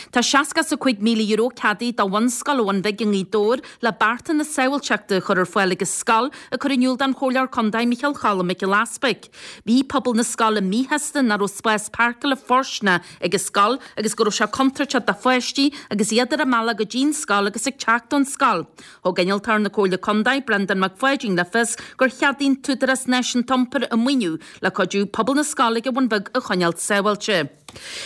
Tá seasca is a cúig míle euro ceadaithe do bhunscoil an Bhun Bhig i nGaoth Dobhair le bearta na sábháilteachta a chur ar fáil ag an scoil, ag cur in iúl don Chomhairleoir Contae Micheál Cholm Mac Giolla Easpaig. Bhí pobal na scoile míshásta nach raibh spás páirceála fóirsteanach ag an scoil agus go raibh sé contúirteach do pháistí agus iad ar a mbealach go dtí'n scoil agus ag teacht ón scoil. Thug Innealtóir na Comhairle Contae, Breandán Mac Pháidín le fios gur cheadaigh an tÚdarás Náisiúnta Iompair an maoiniú le cuidiú pobal na scoile ag an Bhun Bheag a choinneáil sábháilte.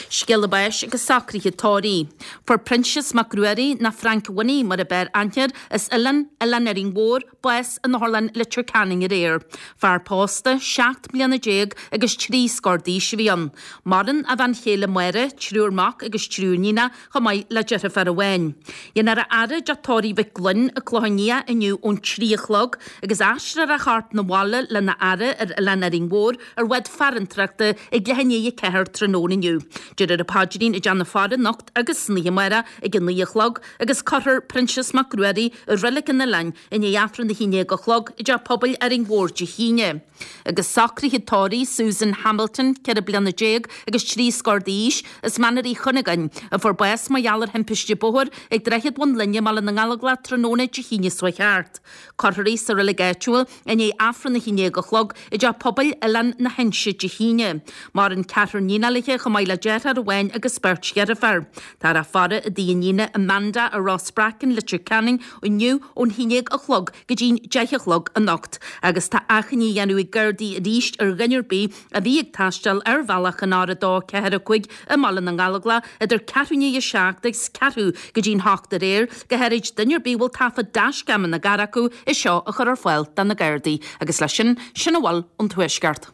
Scéala báis agus socruithe tórraimh. Fuair Proinsias Mac Ruairí, nó Frank Winnie mar a b'fhearr aithne air, as Oileán Oileán Árainn Mhór, bás in Otharlann Leitir Ceanainn aréir. Fear pósta, seacht mbliana déag agus trí scór d'aois a bhí ann. Maireann a bhean chéile Máire, triúr mac agus triúr iníonacha, chomh maith le deirfiúr amháin. Dhéanfar a fhaire i dteach tórraimh Mhic Gloinn i gClochán Liath inniu ón trí a chlog agus aistreofar a chorp 'na bhaile lena fhaire ar Oileán Árainn Mhór ar bhád farantrachta ag leath i ndiaidh a ceathair tráthnóna inniu. Déarfar an paidrín i dteach na faire anocht agus san oíche amárach ag a naoi a chlog agus cuirfear Proinsias Mac Ruairí i Reilig an Oileáin i ndiaidh Aifreann a haon déag a chlog i dteach pobail Árainn Mhór Dé hAoine. Agus socruithe tórraimh Susan Hamilton, ceithre bliana déag agus trí scór d'aois, as Machaire Uí Chuinneagáin, a fuair bás mar gheall ar thimpiste bóthair ag Droichead Bhun Linne i mBaile na nGallóglach tráthnóna Dé hAoine seo thart. Cuirfear í sa reilig áitiúil i ndiaidh Aifreann a haon déag a chlog i dteach pobail Oileán na hInse Dé hAoine. Maireann ceathrar níonacha léi chomh maith le deartháir amháin agus beirt dheirféar. Táthar á faire i dtigh a iníne Amanda i Ros Breacain, Leitir Ceanainn inniu ón haon déag a chlog go dtí'n deich a chlog anocht agus tá achainí á dhéanamh ag Gardaí arís ar dhuine ar bith a bhí ag taisteal ar bhealach an R a dó ceathair a cúig i mBaile na nGallóglach idir ceathrú i ndiaidh a seacht agus ceathrú go dtí'n hocht aréir, go háirid duine ar bith a bhfuil taifead dashcam ina gcarr acu, é seo a chur ar fáil do na Gardaí. Agus leis sin, sin a bhfuil ón Tuaisceart.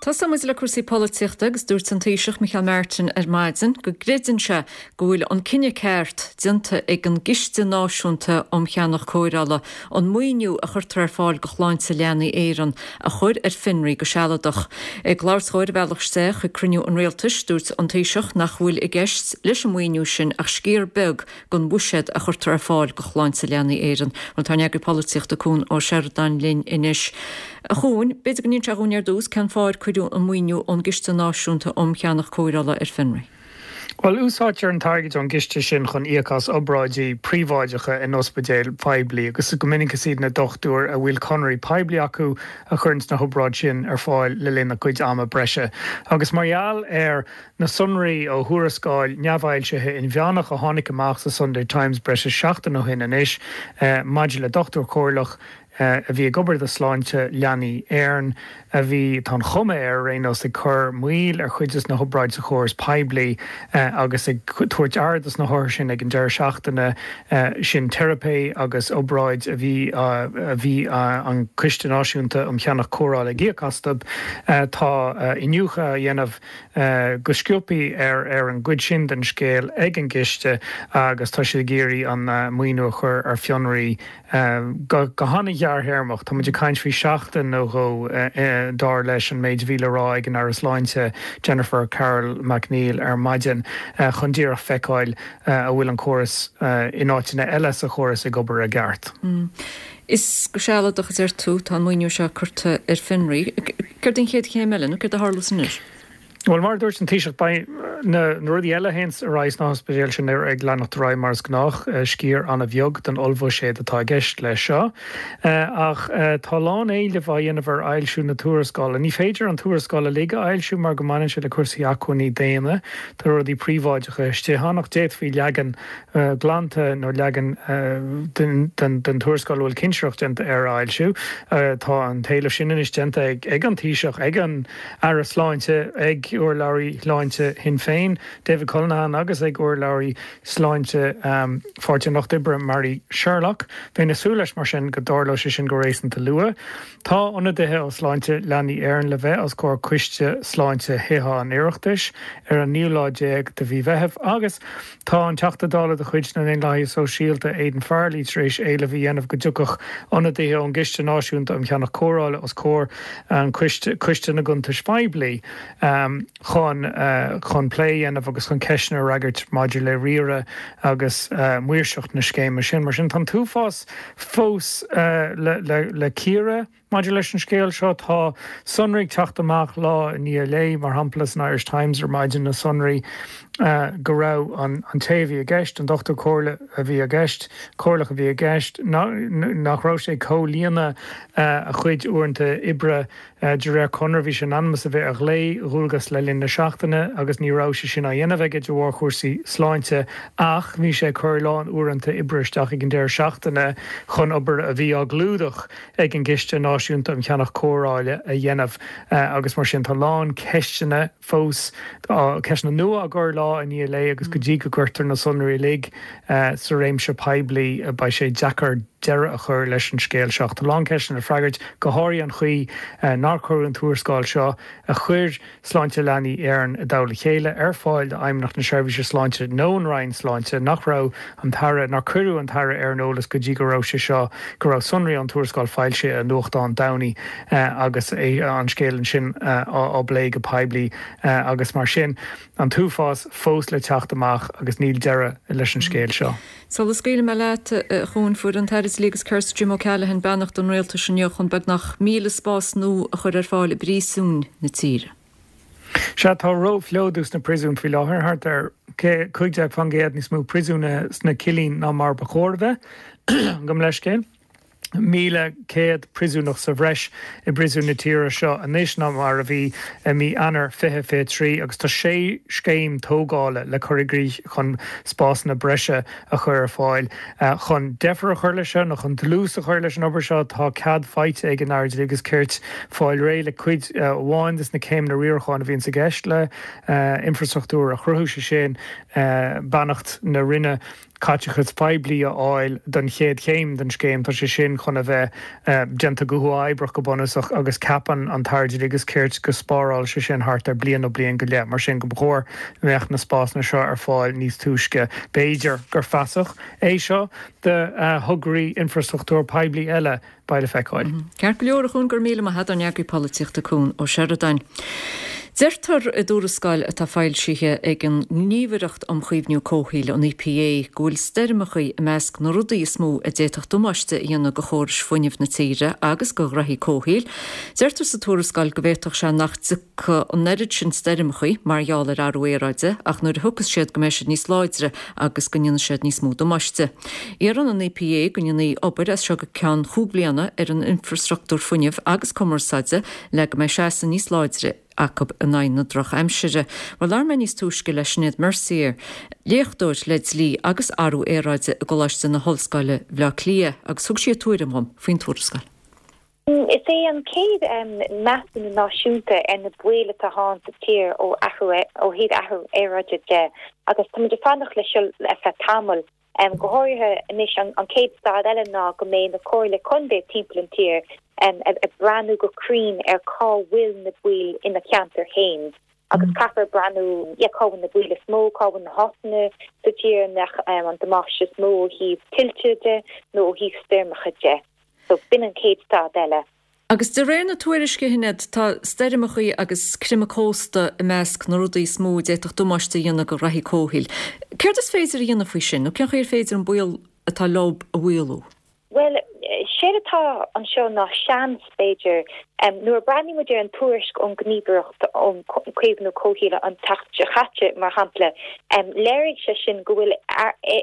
Tosóidh muid le cúrsaí polaitíochta agus dúirt an Taoiseach Micheál Martin ar maidin go gcreideann sé go bhfuil an cinneadh ceart déanta ag an gCiste Náisiúnta um Cheannach Cóireála an maoiniú a chuirtear ar fáil do Shláinte Leanaí Éireann a chur ar fionraí go sealadach. Ag labhairt dó ar a bhealach isteach chuig cruinniú an Rialtais, dúirt an Taoiseach nach bhfuil i gceist leis an maoiniú sin ach sciar beag den bhuiséad a chuirtear ar fáil do Shláinte Leanaí Éireann. Bhuel, tá ár n-eagraí polaitíochta Cuan Ó Seireadáin linn anois. A Chuain, b'fhéidir go n-inseofá dhúinn ar dtús cén fáth ar cuireadh an maoiniú ón gCiste Náisiúnta um Cheannach Cóireála ar fionraí. Bhuel, úsáidtear an t-airgead ón gciste sin chun íoc as obráidí príobháideacha in ospidéil phoiblí agus go minic is iad na dochtúir a bhfuil conairí poiblí acu a chuireann na hobráidí sin ar fáil le linn a gcuid ama breise. Agus mar gheall ar na sonraí ó thuarascáil neamhfhoilsithe inmheánach a tháinig amach sa Sunday Times breis is seachtain ó shin anois maidir le dochtúir comhairleach a bhí ag obair do Sláinte Leanaí Éireann, a bhí, tá an chuma air ar aon nós, ag cur moill ar chuid de na hobráidí sa chóras poiblí agus ag tabhairt aire dos na hothair sin ag an deireadh seachtaine sin, teiripe agus obráid a bhí a bhí an Coiste Náisiúnta um Cheannach Cóireála ag íoc astu. Tá iniúchadh á dhéanamh go sciobtha ar ar an gcuid sin den scéal ag an gCiste agus tá siad ag iarraidh an maoiniú a chur ar fionraí go han-ghearrthéarmach. Tá muid ag caint faoi sheachtain nó dhó, dar leis an méid a bhí le rá ag an Aire Sláinte Jennifer Carroll MacNeill ar maidin, chun díreach feiceáil an bhfuil an córas in áiteanna eile sa chóras ag obair i gceart. Is go sealadach, a deir tú, tá an maoiniú seo curtha ar fionraí. Céard an chéad chéim eile nó céard a tharlós anois? Bhuel, mar a dúirt an Taoiseach, beidh na rudaí eile a théanns ar aghaidh sna hospidéil sin ag leanacht ar aghaidh mar is gnách, sciar an-bheag den ollbhuiséad atá i gceist leis seo. Ach tá a lán éileamh á dhéanamh ar fhoilsiú na tuarascála. Ní féidir an tuarascáil uilig a fhoilsiú mar go mbaineann sé le cúrsaí acmhainní daonna, tá rudaí príobháideacha istigh ann, ach d'fhéadfaí leagan glanta nó leagan den tuarascáil a bhfuil cinsireacht déanta air a fhoilsiú. Tá an t-éileamh sin anois déanta ag an Taoiseach, ag an Aire Sláinte, ag urlabhraí sláinte Shinn Féin, David Cullinane agus ag urlabhraí sláinte Pháirtí an Lucht Oibre, Mary Sherlock. Bheinn ag súil leis mar sin go dtarlódh sé sin go réasúnta luath. Tá ionadaithe ó Sláinte Leanaí Éireann le bheith os comhair Coiste Sláinte Thithe an Oireachtais ar an naoú lá déag de mhí Mheithimh agus tá an Teachta Dála de chuid na nDaonlathaithe Sóisialta, Aidan Farrelly, tar éis éileamh a dhéanamh go dtiocfadh ionadaithe ón gCiste Náisiúnta um Cheannach Cóireála os comhair an Choiste na gCuntais Phoiblí chun chun plé a dhéanamh agus chun ceisteanna a fhreagairt maidir le riaradh agus maoirseacht na scéime sin. Mar sin, tá an t-uafás fós le cíoradh maidir leis an scéal seo. Tá sonraí ag teacht amach lá i ndiaidh lae, mar shampla san Irish Times ar maidin na sonraí go raibh an té a bhí i gceist, an dochtúir comhairle a bhí i gceist, comhairleach a bhí i gceist, nach raibh sé ag comhlíonadh a chuid uaireanta oibre de réir conradh. Bhí sé in ainm is a bheith ar ghlao-dhualgas le linn na seachtaine agus ní raibh sé sin á dhéanamh aige de bharr chúrsaí sláinte ach bhí sé ag cur a lán uaireanta oibre isteach ag an deireadh seachtaine chun obair a bhí á gclúdach ag an gCiste Náisiúnta um Cheannach Cóireála a dhéanamh agus mar sin tá a lán ceisteanna fós, ceisteanna nua á gcur lá i ndiaidh lae agus go dtí go gcuirtear na sonraí uilig sa réimse poiblí beidh sé deacair deireadh a chur leis an scéal seo. Tá a lán ceisteanna le freagairt, go háirithe an chaoi nár cuireadh an tuarascáil seo, a chuir Sláinte Leanaí Éireann i dtoll a chéile, ar fáil d'Fheidhmeannacht na Seirbhíse Sláinte nó an Roinn Sláinte, nach raibh an tAire, nár cuireadh an tAire ar an eolas go dtí go raibh sé seo, go raibh sonraí ón tuarascáil foilsithe i nuachtán Domhnaigh agus an scéal ansin á bplé go poiblí agus mar sin. An t-uafás fós le teacht amach agus níl deireadh leis an scéal seo. Sula scaoilfidh mé leat, a Chuain, fuair an tAire Dlí agus Cirt Jim O'Callaghan beannacht an Rialtais inniu chun beagnach míle spás nua a chur ar fáil i bpríosúin na tíre. Sea, tá róphlódú sna príosúin faoi láthair, thart ar cúig déag faoin gcéad níos mó príosúnaithe sna cillí ná mar ba chóir a bheith. Gabh mo leithscéal. míle céad príosúnach sa bhreis i bpríosúin na tíre seo anois ná mar a bhí i mí Eanáir fiche fiche trí agus tá sé scéim tógála le cur i gcrích chun spásanna breise a chur ar fáil. Chun deifir a chur leis seo nó chun dlús a chur leis an obair seo tá cead faighte ag an Aire Dlí agus Cirt fáil réidh le cuid amháin de na céimeanna riaracháin a bhíonns i gceist le infrastruchtúr a chruthú, sé sin beannacht na Roinne. caiteachas poiblí a fháil don chéad chéim den scéim. Tá sé sin chun a bheith déanta go huathoibríoch go bunúsach agus ceapann an tAire Dlí agus Cirt go spárálfaidh sé sin thart ar bliain nó bliain go leith. Mar sin go ba chóir go mbeadh na spásanna seo ar fáil níos túisce. B'fhéidir gur feasach é seo do thograí infrastruchtúir poiblí eile. Beidh le feiceáil. Ceart go leor, a Chuain, go raibh míle maith agat, ár n-eagraí polaitíochta Cuan Ó Seireadáin. Deirtear i dtuarascáil atá foilsithe ag an nGníomhaireacht um Chaomhnú Comhshaoil, an E P A, go bhfuil stoirmeacha i measc na rudaí is mó a d'fhéadfadh damáiste a dhéanamh do chórais fuinnimh na tíre agus do ghraithí comhshaoil. Deirtear sa tuarascáil go bhféadfadh sé nach dtiocfaidh an oiread sin stoirmeacha mar gheall ar athrú aeráide ach nuair a thiocfas siad go mbeidh siad níos láidre agus go ndéanfaidh siad níos mó damáiste. Iarrann an E P A go ndéanfaí obair as seo go ceann chúig bliana ar an infrastruchtúr fuinnimh agus cumarsáide le go mbeidh seasamh níos láidre acu in aghaidh na drochaimsire. Bhuel, labhair mé níos túisce le Sinéad Mercier, léachtóir le dlí agus athrú aeráide i gColáiste na hOllscoile Bhaile Átha Cliath, agus thug sí a tuairim dhom faoin tuarascáil. Is é an chéad measúnú náisiúnta ar na baoil atá ann sa tír ó athrú ó thaobh athrú aeráide de agus táimid ag fanacht leis seo le feadh tamaill. Go háirithe anois an chéad staid eile ná go mbeidh na comhairlí contae timpeall an tír ag breathnú go cruinn ar cá bhfuil na baoil ina ceantar féin agus caithfear breathnú yeah cá bhfuil na baoil is mó, cá bhfuil na háiteanna sa tír a mbeadh an damáiste is mó ó thaobh tuilte de nó ó thaobh stoirmeacha de. So b'in an chéad staid eile. Agus de réir na tuairisce, a Shinéad, tá stoirmeacha agus creimeadh cósta i measc na rudaí is mó a d'fhéadfadh damáiste a dhéanamh do ghraithí comhshaoil. Céard is féidir a dhéanamh faoi sin, nó cén chaoi ar féidir an baol atá leo a mhaolú? Bhuel, Séard atá anseo ná seans, b'fhéidir, nuair a breathnaíonn muid ar an tuairisc ón nGníomhaireacht um Chaomhnú Comhshaoil an tseachtain seo caite, mar shampla, léirigh sé sin go bhfuil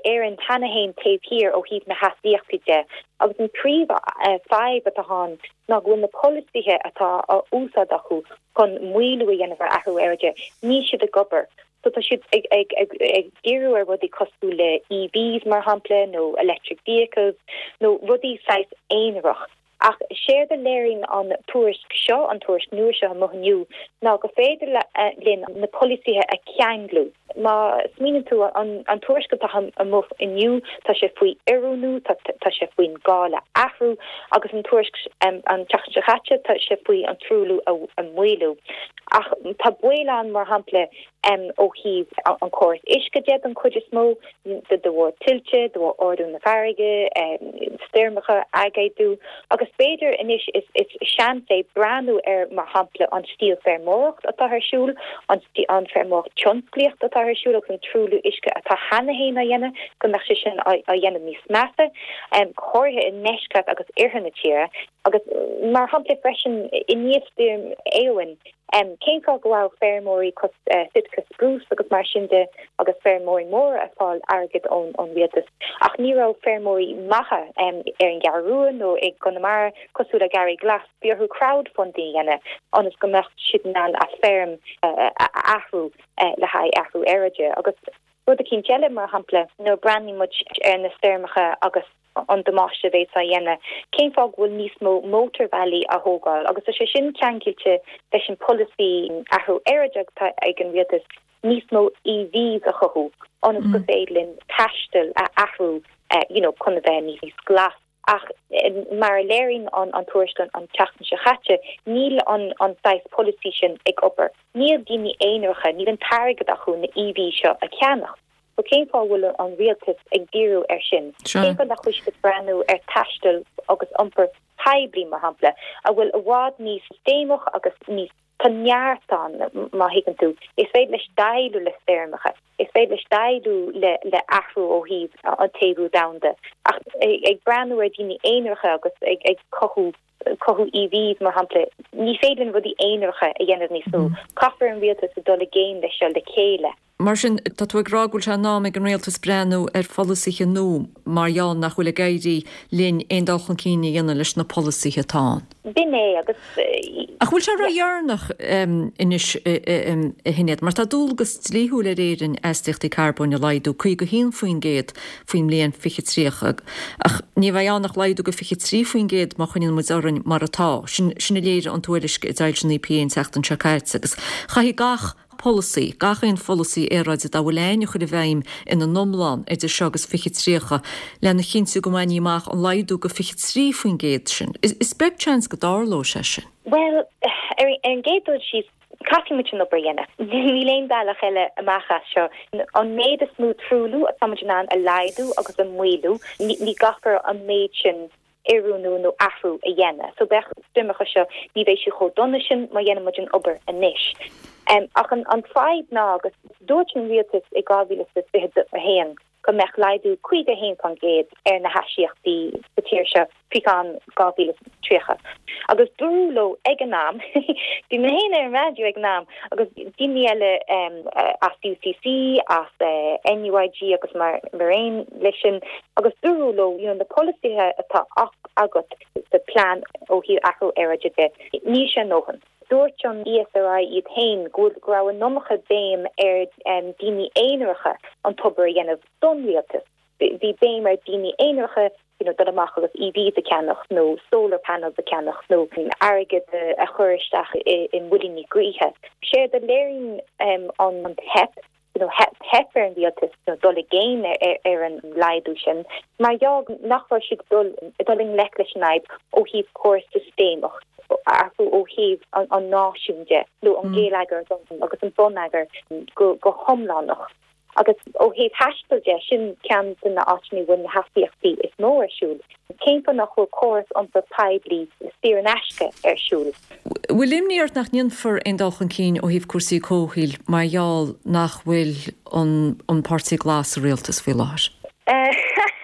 Éirinn cheana féin taobh thiar ó thaobh na hastaíochtaí de agus an príomhfhadhb atá ann ná go bhfuil na polasaithe atá á úsáid acu chun maolú a dhéanamh ar athrú aeráide, níl siad ag obair. So tá siad ag ag ag ag díriú ar rudaí cosúil le EVs mar shampla nó electric vehicles nó rudaí saghas aonarach. Ach séard a léiríonn an tuairisc seo, an tuairisc nua seo amuigh inniu, ná go féidir linn na polasaithe a cheanglú. Má smaoiníonn tú, an an tuairisc atá amuigh inniu, tá sé faoi oiriúnú, tá tá sé faoin gá le athrú, agus an tuairisc an tseachtain seo caite, tá sé faoi an truailliú a a mhaolú. Ach tá baol ann, mar shampla, ó thaobh an córas uisce de don chuid is mó, de bharr tuilte, de bharr ardú na farraige, stoirmeacha, aigéadú, agus b'fhéidir anois is seans é breathnú ar, mar shampla, an stíl feirmeoireacht atá ar siúl, an feirmeoireacht tionsclaíocht atá ar siúl agus an truailliú uisce atá cheana féin á dhéanamh, go mbeadh sé sin á dhéanamh níos measa, go háirithe i ndeisceart agus oirthear na tíre. Agus mar shampla freisin, i ndiaidh stoirm Éowyn, cén fáth go raibh feirmeoirí cosúil Sitka Spruce agus mar sin de agus feirmeoirí móra ag fáil airgead ón ón rialtas ach ní raibh feirmeoirí maithe ar an gCeathrú Rua nó i gConamara cosúil le Gary Glass, bhí orthu crowdfunding a dhéanamh ionas go mbeadh siad in ann a feirm a athrú le haghaidh athrú aeráide. Agus rud eicínt eile, mar shampla, nuair a breathnaíonn muid ar na stoirmeacha agus an damáiste a bhéas á dhéanamh, cén fáth go bhfuil níos mó mótarbhealaí á thógáil? Agus tá sé sin ceangailte leis an polasaí athrú aeráide atá ag an rialtas, níos mó EVs a chothú ionas go féidir linn taisteal a athrú you know chun a bheith níos glas. Ach mar a léiríonn an tuairisc an tseachtain seo chaite, níl an an saghas polasaí sin ag obair. Níl daoine aonaracha, níl an t-airgead acu na EVs seo a cheannach. So cén fáth a bhfuil an rialtas ag díriú air sin? Cén fáth nach bhfuil siad ag breathnú ar taisteal agus iompar poiblí, mar shampla, a bhfuil i bhfad níos sistéamach agus níos, tá neart ann, má thuigeann tú. Is féidir leis déileáil le stoirmeacha, is féidir leis déileáil le le athrú ó thaobh an téamhú domhanda. Ach ag breathnú ar daoine aonaracha agus ag ag cothú cothú EVs, mar shampla, ní féidir linn rudaí aonaracha a dhéanamh níos mó. Caithfear an rialtas a dul i gcéim leis seo le chéile. Mar sin, tá tú ag rá go bhfuil sé in am ag an rialtas breathnú ar pholasaithe nua mar gheall nach bhfuil ag éirí linn aon dul chun cinn a dhéanamh leis na polasaithe atá ann. B'in é, agus. Ach bhfuil sé ródheireanach anois, a Shinéad, mar tá dualgas dlíthiúil ar Éirinn astaíochtaí carbóin a laghdú caoga a haon faoin gcéad faoin mbliain fiche tríocha, ach ní bheidh ann ach laghdú go fiche trí faoin gcéad má choinníonn muid orainn mar atá. Sin a léirigh an tuairisc a d'fhoilsigh an EPA an tseachtain seo caite agus chaithfidh gach polasaí, gach aon pholasaí aeráide dá bhfuil ann a chur i bhfeidhm ina n-iomlán idir seo agus fiche tríocha lena chinntiú go mbainfí amach an laghdú go fiche trí faoin gcéad sin. Is beag seans go dtarlóidh sé sin. Bhuel, ar an gcéad dul síos, caithfidh muid an obair a dhéanamh. Níl aon bhealach eile amach as seo. An méid is mó truailliú atá muid in ann a laghdú agus a mhaolú, ní gcaithfear an méid sin oiriúnú nó athrú a dhéanamh. So beidh stoirmeacha seo, ní bheidh siad chomh dona sin má dhéanann muid an obair anois. Ach an an fadhb ná, agus dúirt an rialtas i dhá mhíle is fiche a haon go mbeadh laghdú caoga a haon faoin gcéad ar na hastaíochtaí sa tír seo faoi cheann dhá mhíle is tríocha. Agus dúradh leo ag an am, bhí mé féin ar an raidió ag an am, agus daoine eile as UCC, as NUIG agus mar aon leis sin, agus dúradh leo, you know, na polasaithe atá agat sa plean ó thaobh athrú aeráide de, níl sé a ndóthain. Dúirt an ESRI iad féin go bhfuil, go raibh an iomarca béim ar daoine aonaracha an tobair a dhéanamh don rialtas. Bhí béim ar daoine aonaracha, you know, dul amach agus EVs a cheannach nó solar panels a cheannach nó airgead a chur isteach i muilíní gaoithe. Séard a léiríonn an teip, you know, theip ar an rialtas you know, dul i gcéim ar an laghdú sin mar gheall nach raibh siad dul dul i ngleic leis an fhadhb ó thaobh córas sistéamach, athrú ó thaobh an náisiúin de nó an geilleagar agus an bonneagar go go hiomlánach. Agus ó thaobh taistil de, sin ceann de na áiteanna a bhfuil na hastaíochtaí is mó ar siúl. Cén fáth nach bhfuil córas iompair poiblí saor in aisce ar siúl? Bhfuil imní ort nach ndéanfar aon dul chun cinn ó thaobh cúrsaí comhshaoil mar gheall nach bhfuil an an Páirtí Glas sa rialtas faoi láthair?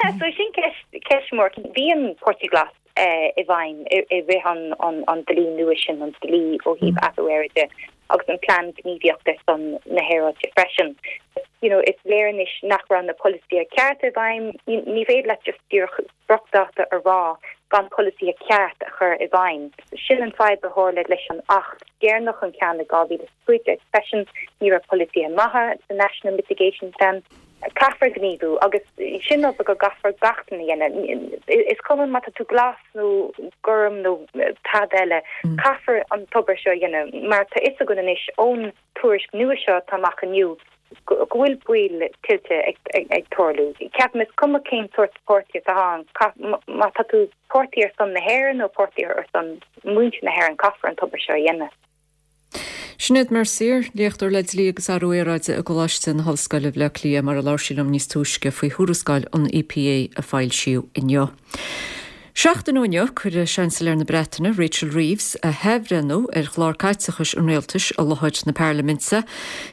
So sin ceist Ceist mór. Bhí an Páirtí Glas i bhfeidhm i rith an an dlí nua sin, an dlí ó thaobh athrú aeráide agus an plean gníomhaíochta ar son na haeráide freisin. You know, is léir anois nach raibh na polasaithe cearta i bhfeidhm. Ní féidir leat just díreach spriocdháta a rá gan polasaithe ceart a chur i bhfeidhm. Sin an fadhb a tharla leis an Acht deireanach an ceann i dhá mhíle is a cúig déag freisin, ní raibh polasaithe maithe sa National Mitigation Plan. Caithfear gníomhú agus sin obair go gcaithfear gach duine a dhéanamh. Is cuma má tá tú glas nó gorm nó tada eile, caithfear an tobair seo a dhéanamh mar tá fhios againn anois ón tuairisc nua seo atá amach inniu go bhfuil baol tuilte ag tarlú. Ceapaim is cuma cén sórt páirtí atá ann, má tá tú páirtí ar son na hÉireann nó páirtí ar son muintir na hÉireann, caithfear an tobair seo a dhéanamh. Sinéad Mercier, léachtóir le Dlí agus Athrú Aeráide i gColáiste na hOllscoile Bhaile Átha Cliath, mar a labhair sí liom níos túisce faoi thuarascáil an E P A a foilsíodh inniu. Seachtain ó inniu, cuirfidh Seansailéir na Breataine, Rachel Reeves, a hathbhreithniú ar chlár caiteachais an rialtais i láthair na Parlaiminte.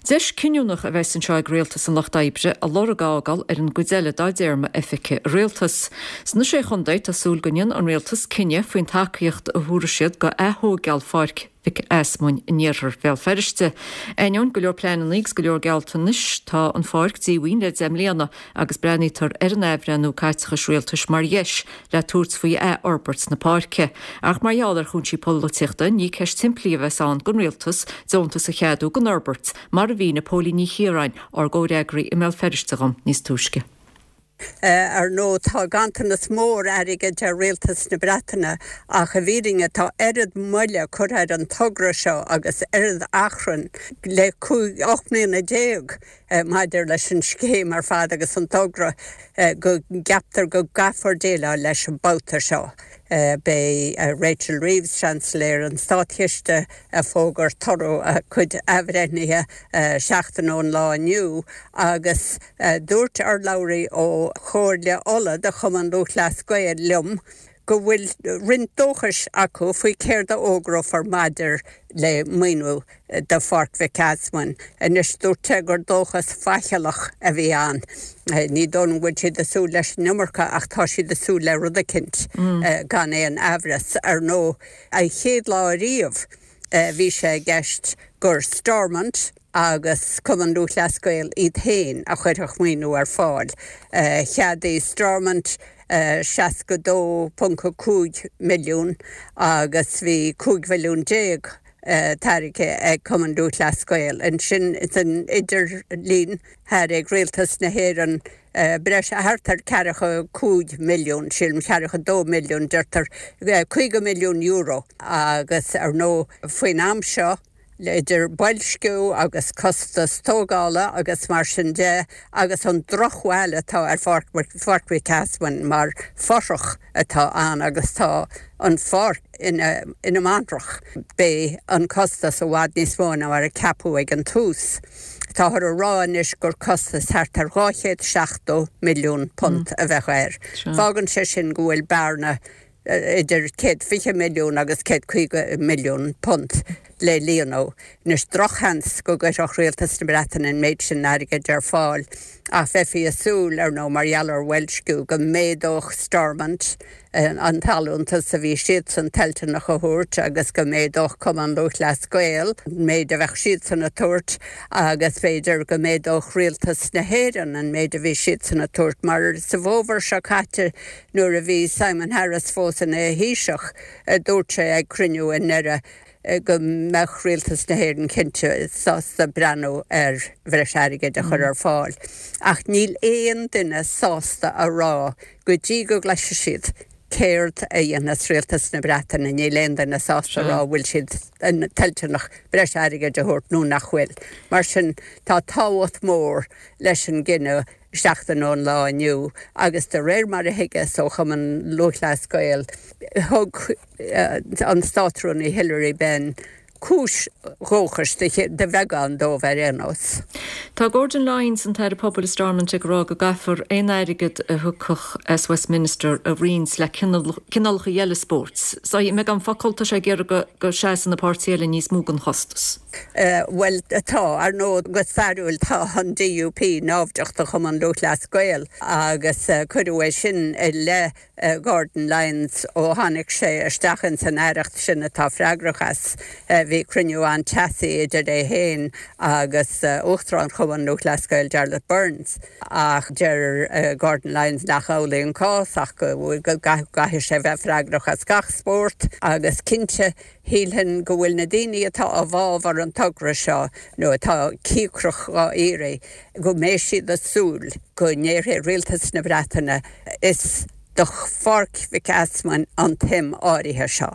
Deis cinniúnach a bheas anseo ag Rialtas an Lucht Oibre a lorg a fhágáil ar an gcuid eile dá dtéarma oifige i rialtas. Sna Sé Chontae, tá súil go ndéanfaidh an rialtas cinneadh faoin tacaíocht a thabharfaidh siad do ath-thógáil Pháirc Mhic Easmuinn in iarthar Bhéal Feirste. Ainneoin go leor pleananna agus go leor gealltanais, tá an pháirc díomhaoin le deich mbliana agus breathnaítear ar an athbhreithniú caiteachais rialtais mar dheis le tabhairt faoi athfhorbairt na páirce. Ach mar gheall ar chúinsí polaitíochta, ní ceist shimplí a bheas ann don rialtas deontas a cheadú don fhorbairt, mar a mhínigh Póilín Ní Chiaráin, ár gcomhfhreagraí i mBéal Feirste dhom níos túisce. Ar ndóigh, tá ganntanas mór airgid ar rialtas na Breataine ach i bhfírinne tá oiread moille curtha ar an togra seo agus oiread achrainn le cúig, ocht mbliana déag maidir leis an scéim ar fad agus an togra go gceaptar go gcaithfear déileáil leis an babhta seo. Beidh Rachel Reeves, Seansailéir an Státchiste, ag fógairt toradh a cuid athbhreithnithe seachtain ón lá inniu agus dúirt urlabhraí ó Chomhairle Uladh de Chumann Lúthchleas Gael liom go bhfuil roinnt dóchais acu faoi céard a fhógrófar maidir le maoiniú do Pháirc Mhic Easmuinn. Anois, dúirt sé gur dóchas faichilleach a bhí ann. Ní dóigh liom go bhfuil siad ag súil leis an iomarca ach tá siad ag súil le rud eicint, gan aon amhras. Ar ndóigh, an chéad lá ariamh bhí sé i gceist gur Stormont agus Cumann Lúthchleas Gael iad féin a chuirfeadh maoiniú ar fáil. Cheadaigh Stormont seasca dó ponc a cúig milliún agus bhí cúig mhilliún déag tairgthe ag Cumann Lúthchleas Gael. Ansin san idirlinn thairg Rialtas na hÉireann breis thart ar ceathracha cúig milliún, sílim ceathracha dó milliún, deirtear caoga milliún euro agus ar ndóigh faoin am seo, idir boilsciú agus costas tógála agus mar sin de agus an drochbhail atá ar Pháirc Mhic Easmuinn mar fothrach atá ann agus tá an pháirc ina ina mantrach. Beidh an costas i bhfad níos mó ná mar a ceapadh ag an tús. Táthar a rá anois gur costas thart ar dhá chéad seachtó milliún punt a bheadh air. Fágann sé sin go bhfuil bearna idir céad fiche milliún agus céad caoga milliún punt le líonadh. Anois, drochsheans go gcuirfeadh Rialtas na Breataine an méid sin airgid ar fáil, ach bheifí ag súil, ar ndóigh, mar gheall ar bhoilsciú, go méadódh Stormont an t-allúntas a bhí siadsan toilteanach a thabhairt agus go méadódh Cumann Lúthchleas Gael an méid a bheadh siadsan a tabhairt agus b'fhéidir go méadódh Rialtas na hÉireann an méid a bhí siadsan a tabhairt mar sa bhfómhar seo caite nuair a bhí Simon Harris fós ina Thaoiseach dúirt sé ag cruinniú i nDoire go mbeadh Rialtas na hÉireann cinnte sásta breathnú ar bhreis airgid a chur ar fáil. Ach níl aon duine sásta a rá go dtí go gcloisfidh siad céard a dhéanfas Rialtas na Breataine, níl aon duine sásta a rá an bhfuil siad toilteanach breis airgid a thabhairt nó nach bhfuil. Mar sin, tá tábhacht mhór leis an gcinneadh seachtain ón lá inniu agus de réir mar a thuigeas ó Chumann Lúthchleas Gael, thug an Státrúnaí Hilary Benn cúis dhóchais de bheagán dóibh ar aon nós. Tá Gordon Lyons, an tAire Pobail i Stormont ag rá go gcaithfear aon airgead a thiocfadh as Westminster a roinnt le cineálacha eile spóirt. So i mbeagán focal tá sé ag iarraidh go seasann na páirtithe eile níos mó den chostas. Bhuel tá, ar ndóigh go stairiúil tá an DUP naimhdeach do Chumann Lúthchleas Gael agus cuireadh é sin i leith Gordon Lyons ó tháinig sé isteach ins an aireacht sin atá freagrach as. Bhí cruinniú an-teasaí idir é féin agus Uachtarán Chumann Lúthchleas Gael Jarlath Burns ach deir Gordon Lyons nach amhlaidh an cás ach go gcaithfidh sé bheith freagrach as gach spórt agus cinnte shílfinn go bhfuil na daoine atá i bhfabhar an togra seo nó atá cíocrach dhá iarraidh go mbeidh siad ag súil go ndéarfaidh Rialtas na Breataine is do Pháirc Mhic Easmainn an tsuim áirithe seo.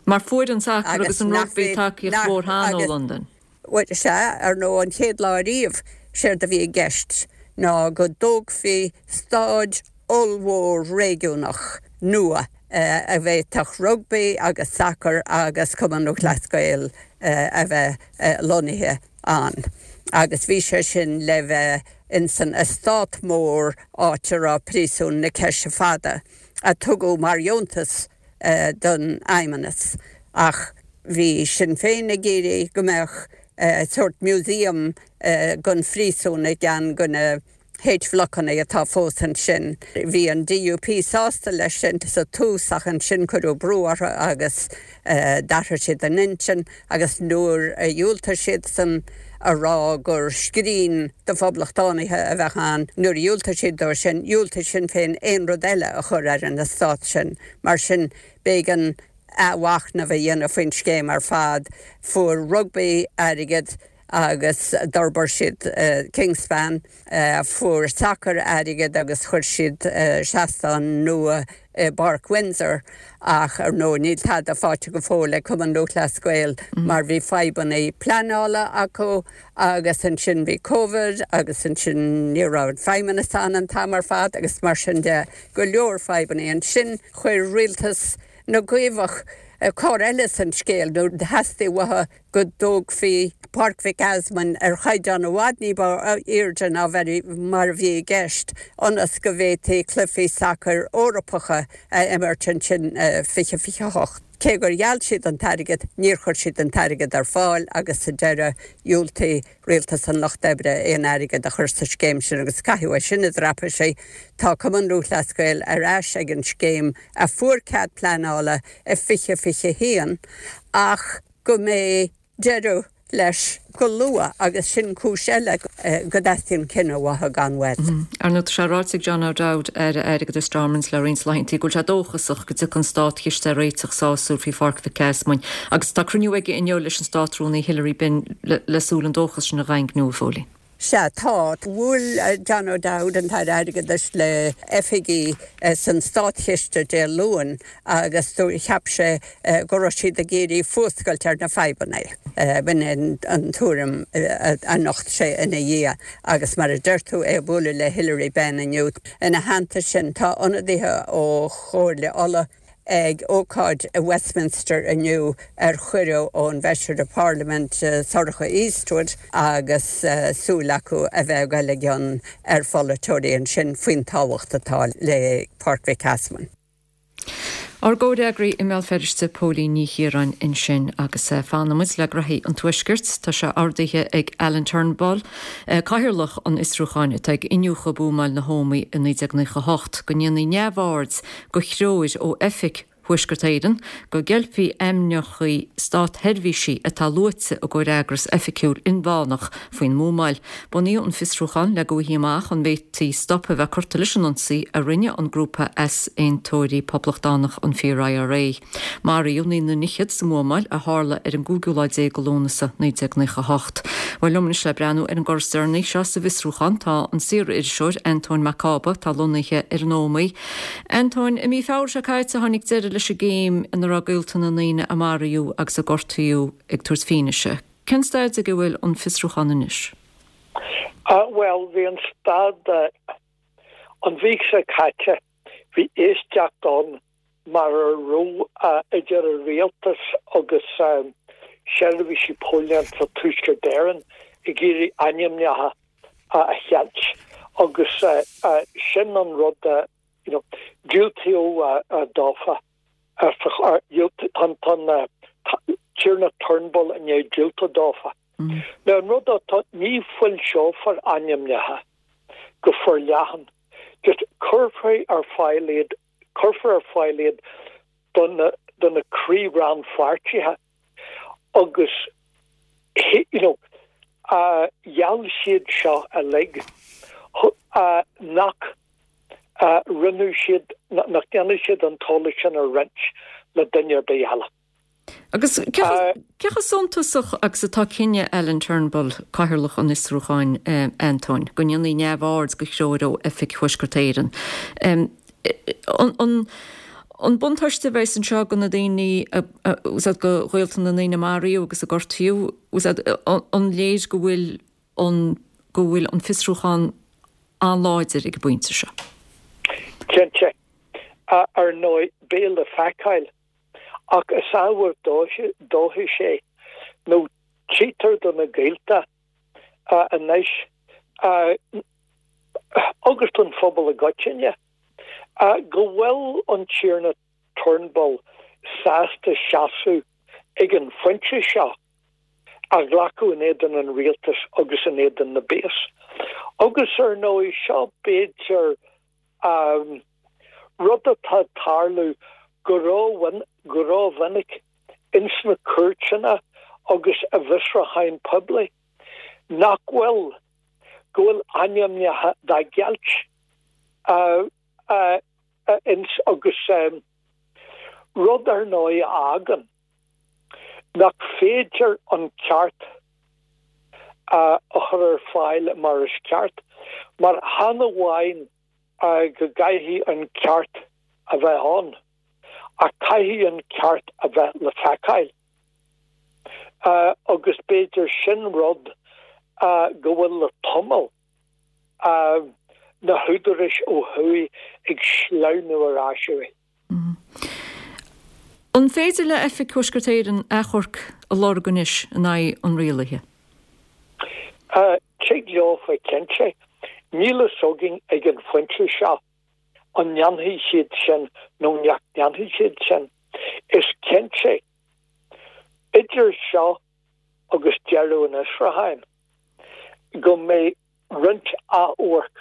Mar fuair an sacar agus an rugbaí tacaíocht mhór cheana ó Londain. Bhuel, sea, ar ndóigh an chéad lá ariamh, séard a bhí i gceist ná go dtógfaí staid ollmhór réigiúnach nua a bhféadfadh rugbaí agus sacar agus Cumann Lúthchleas Gael a bheith lonnaithe ann. Agus bhí sé sin le bheith ins an eastát mór áit a raibh príosún na Ceise Fada, a tugadh mar dheontas don Fheidhmeannas. Ach bhí Sinn Féin ag iarraidh go mbeadh sórt museum den phríosún i gceann de na H-bhlocanna atá fós ansin. Bhí an DUP sásta leis sin sa tús ach ansin cuireadh brú orthu agus d'athraigh siad a n-intinn agus nuair a dhiúltaigh siadsan a rá gur scrín do phoblachtánaithe a bheadh ann, nuair a dhiúltaigh siad dó sin, dhiúltaigh Sinn Féin aon rud eile a chur ar an eastát sin. Mar sin, b'éigean athmhachnamh a dhéanamh faoin scéim ar fad. Fuair rugbaí airgead agus d'fhorbair siad Kingspan, fuair sacar airgead agus chuir siad seastán nua i bPáirc Windsor ach ar ndóigh níl tada faighte go fóill ag Cumann Lúthchleas Gael mar bhí fadhbanna pleanála acu agus ansin bhí Covid agus ansin ní raibh an Feidhmeannas ann an t-am ar fad agus mar sin de, go leor fadhbanna. Ansin chuir rialtas na gCaomhach cor eile san scéal nuair theastaigh uathu go dtógfaí Páirc Mhic Easmainn ar chaighdeán i bhfad ní ba airde ná mar a bhí i gceist ionas go bhféadfaí cluichí sacair Eorpacha a imirt ansin fiche fiche a hocht. Cé gur gheall siad an t-airgead, níor chuir siad an t-airgead ar fáil agus sa deireadh dhiúltaigh Rialtas an Lucht Oibre aon airgead a chur sa scéim sin agus caitheadh é sin i dtraipisí. Tá Cumann Lúthchleas Gael ar ais ag an scéim a fuair cead pleanála i fiche fiche a haon ach go mbeidh deireadh leis go luath agus sin cúis eile go dteastaíonn cinneadh uathu gan mhoill. Ar ndóigh, tá sé ráite ag John O'Dowd, Aire Airgeadais Stormont le roinnt laethanta go bhfuil sé dóchasach go dtiocfaidh an státchiste ar réiteach sásúil faoi Pháirc Mhic Easmainn agus tá cruinniú aige inniu leis an Státrúnaí Hilary Benn le súil an dóchas sin a dhaingniú, a Phóilín. Sea, tá. Bhuail John O'Dowd, an tAire Airgeadais, le oifigigh san Státchiste Dé Luain agus cheap sé go raibh siad ag iarraidh fuascailt ar na fadhbanna. B'in an tuairim a nocht sé ina dhiaidh agus mar a deir tú, é ag bualadh le Hilary Benn inniu. Ina theannta sin, tá ionadaithe ó Chomhairle Uladh, ag ócáid i Westminster inniu ar chuireadh ón bhFeisire Parlaiminte Sorcha Eastwood agus súil acu a bheith ag dul i gcion ar pholaiteoirí ansin faoin tábhacht atá le Páirc Mhic Easmainn. Ár gcomhfhreagraí i mBéal Feirste, Póilín Ní Chiaráin ansin agus fanfaidh muid le graithí an Tuaiscirt. Tá sé ordaithe ag Alan Turnbull, cathaoirleach an fhiosrúcháin atá ag iniúchadh buamáil na hÓmaí i naoi déag naocha a hocht, go ndéanfaí neamhaird de threoir ó Oifig Thuaisceart Éireann go gceilfí ainmneacha státsheirbhísigh atá luaite i gcomhfhreagras oifigiúil inmheánach faoin mbuamáil. Bunaíodh an fiosrúchán le go bhfaighfí amach an bhféadfaí stop a bheith curtha leis an ionsaí a rinne an grúpa easaontóirí poblachtánach an Fíor-IRA. Maraíodh naonúr fhichead sa mbuamáil a tharla ar an gcúigiú lá déag de Lúnasa naoi déag naocha a hocht. Bhuel, liom anois le breathnú ar an gcor is deireanaí seo sa bhfiosrúchán tá an saor-iriseoir Antóin Mac Cába atá lonnaithe ar an Ómaigh. Antóin, i mí Feabhra seo caite tháinig deireadh leis an gcéim ina raibh gaolta na ndaoine a maraíodh agus a gortaíodh ag tabhairt fianaise. Cén staid ag a bhfuil an fiosrúchán anois? Bhuel, bhí an staid an mhí seo caite, bhí éisteacht ann mar a raibh idir an rialtas agus seirbhísí póilíneachta Tuaisceart Éireann ag iarraidh ainmneacha a cheilt agus sin an rud you know, diúltaíodh dófa tá an Tiarna Turnbull i ndiaidh diúltú dófa. Now an rud atá ní foilseofar ainmneacha go forleathan, just cuirfear ar fáil iad cuirfear ar fáil iad do na do na croí-rannpháirtithe agus you know, uh, gheall siad seo uilig uh, nach uh, rinne siad nach ndéanfaidh siad an t-eolas sin a roinnt le duine ar bith eile. Agus cé chomh suntasach agus atá cinneadh Alan Turnbull cathaoirleach an fhiosrúcháin Antóin, go ndéanfaí neamhaird de threoir ó Oifig Thuaisceart Éireann. An buntáiste a bheas anseo do na daoine go ghaolta na ndaoine a maraíodh agus a gortaíodh, an léir go bhfuil an go bhfuil an fiosrúchán an-láidir ag an bpointe seo. Cinnte. Ar ndóigh beidh le feiceáil ach is ábhar dóchais é nó tchítear do na gaolta anois agus don phobal i gcoitinne go bhfuil an Tiarna Turnbull sásta seasamh ag an phointe seo a ghlacadh in éadan an rialtais agus in éadan na bpéas. Agus ar ndóigh seo b'fhéidir rud atá ag tarlú go rómhinic ins na cúirteanna agus i bhfiosrúcháin poiblí nach bhfuil go bhfuil ainmneacha dá gceilt ins agus rud ar ndóigh a fhágann nach féidir an ceart a chur ar fáil mar is ceart, mar chan amháin go gcaithfidh an ceart a bheith ann, ach caithfidh an ceart a bheith le feiceáil. Agus b'fhéidir sin rud go bhfuil le tamall na húdaráis ó thuaidh ag sleamhnú ar ais uaidh. An féidir le Oifig Thuaisceart Éireann achomharc a lorg anois in aghaidh an rialaithe? Tig leofa cinnte. Níl a fhios againn ag an phointe seo an ndéanfaidh siad sin nó nach ndéanfaidh siad sin. Is cinnte, idir seo agus deireadh an fhiosrúcháin, go mbeidh roinnt achomharc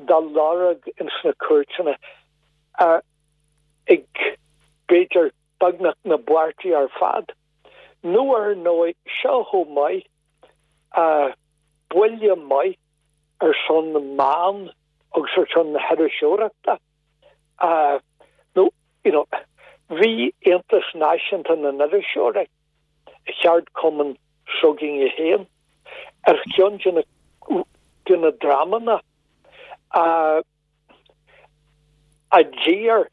dá lorg ins na cúirteanna ag b'fhéidir beagnach na bpáirtí ar fad. Nó ar ndóigh, seo chomh maith buille maith ar son na meán agus ar son na hiriseoireachta. Nó, you know, bhí Aontas Náisiúnta na nIriseoirí, ceardchumann s'againne féin, ar cheann de na de na dreamanna a a d'iarr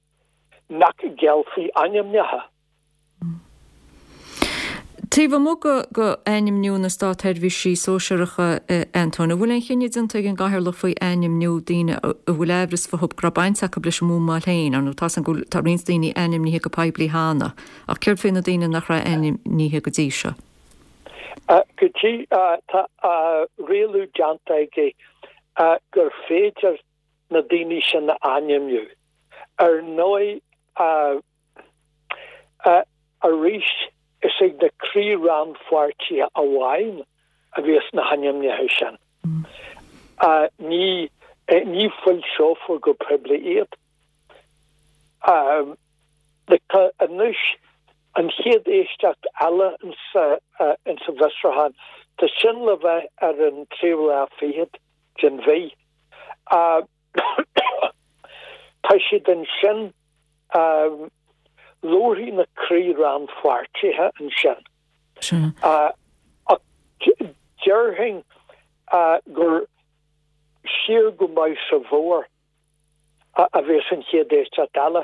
nach gceilfí ainmneacha. Taobh amuigh de ainmniú na státsheirbhísí sóisearacha, Antóin, an bhfuil aon chinneadh déanta ag an gCathaoirleach faoi ainmniú daoine a bhfuil aimhreas fúthu go raibh baint acu leis an mbuamáil féin? Ar ndóigh, tá go bhfuil tá roinnt daoine ainmnithe go poiblí cheana, ach céard faoi na daoine nach raibh ainmnithe go dtí seo? Go dtí tá rialú déanta aige gur féidir na daoine sin a ainmniú. Ar ndóigh, arís is ag na croí-rannpháirtithe amháin a bheas na hainmnithe sin. Ní ní foilseofar go poiblí iad. Tá anois an chéad éisteacht eile insa bhfiosrúchán, tá sin le bheith ar an tríú lá fichead den mhí. Tá siad ansin labharfaidh na croí-rannpháirtithe ansin. Ach déarfainn gur siar go maith sa bhfómhar a bheas an chéad éisteacht eile.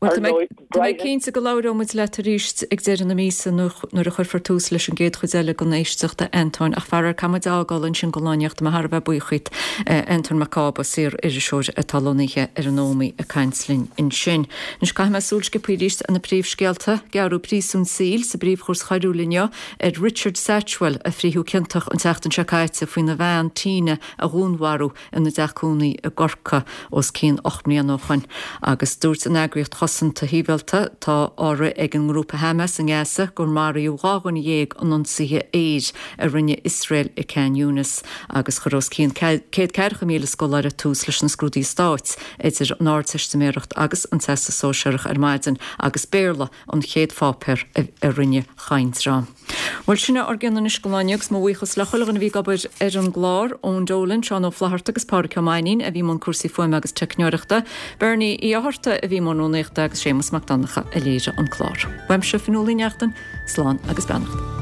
Bhuel, tá mé cinnte go labhróidh muid leat arís ag deireadh na míosa nuair a chuirfear tús leis an gcéad chuid eile den éisteacht, a Antóin, ach faraor caithfidh muid a fhágáil ansin don lá inniu. Tá mé thar a bheith buíoch díot, Antóin Mac Cába, saor-iriseoir atá lonnaithe ar an Ómaigh ag caint linn ansin. Anois caithfidh mé súil sciobtha arís ar na príomhscéalta. Gearradh príosún saoil sa bPríomhchúirt Choiriúil inniu ar Richard Satchwell a frítheadh ciontach an tseachtain seo caite faoina bhean Tina a dhúnmharú ina dteach cónaí i gCorcaigh os cionn ocht mbliana ó shoin agus dúirt an eagraíocht chosanta shibhialta atá á rith ag an ngrúpa Hamas i nGaza gur maraíodh dhá dhuine dhéag in ionsaithe aeir a rinne Iosrael i Khan Younis agus chuir os cionn céad ceathracha míle scoláire tús leis na scrúduithe stáit idir an Ardteistiméireacht agus an Teastas Sóisearach ar maidin agus Béarla an chéad pháipéar a rinne chaint. Bhuel sin ár gcion anois don lá inniu agus mo bhuíochas le chuile dhuine a bhí ag obair ar an gclár, Eoin Dolan, Seán Ó Flatharta agus Pádraic Ó Mainnín a bhí i mbun cúrsaí fuaime agus teicneoireachta, Bernie Uí Fhátharta a bhí i mbun rúnaíochta agus Séamus Mac Donncha a léirigh an clár. Uaimse Fionnuala Ní Neachtain, slán agus beannacht.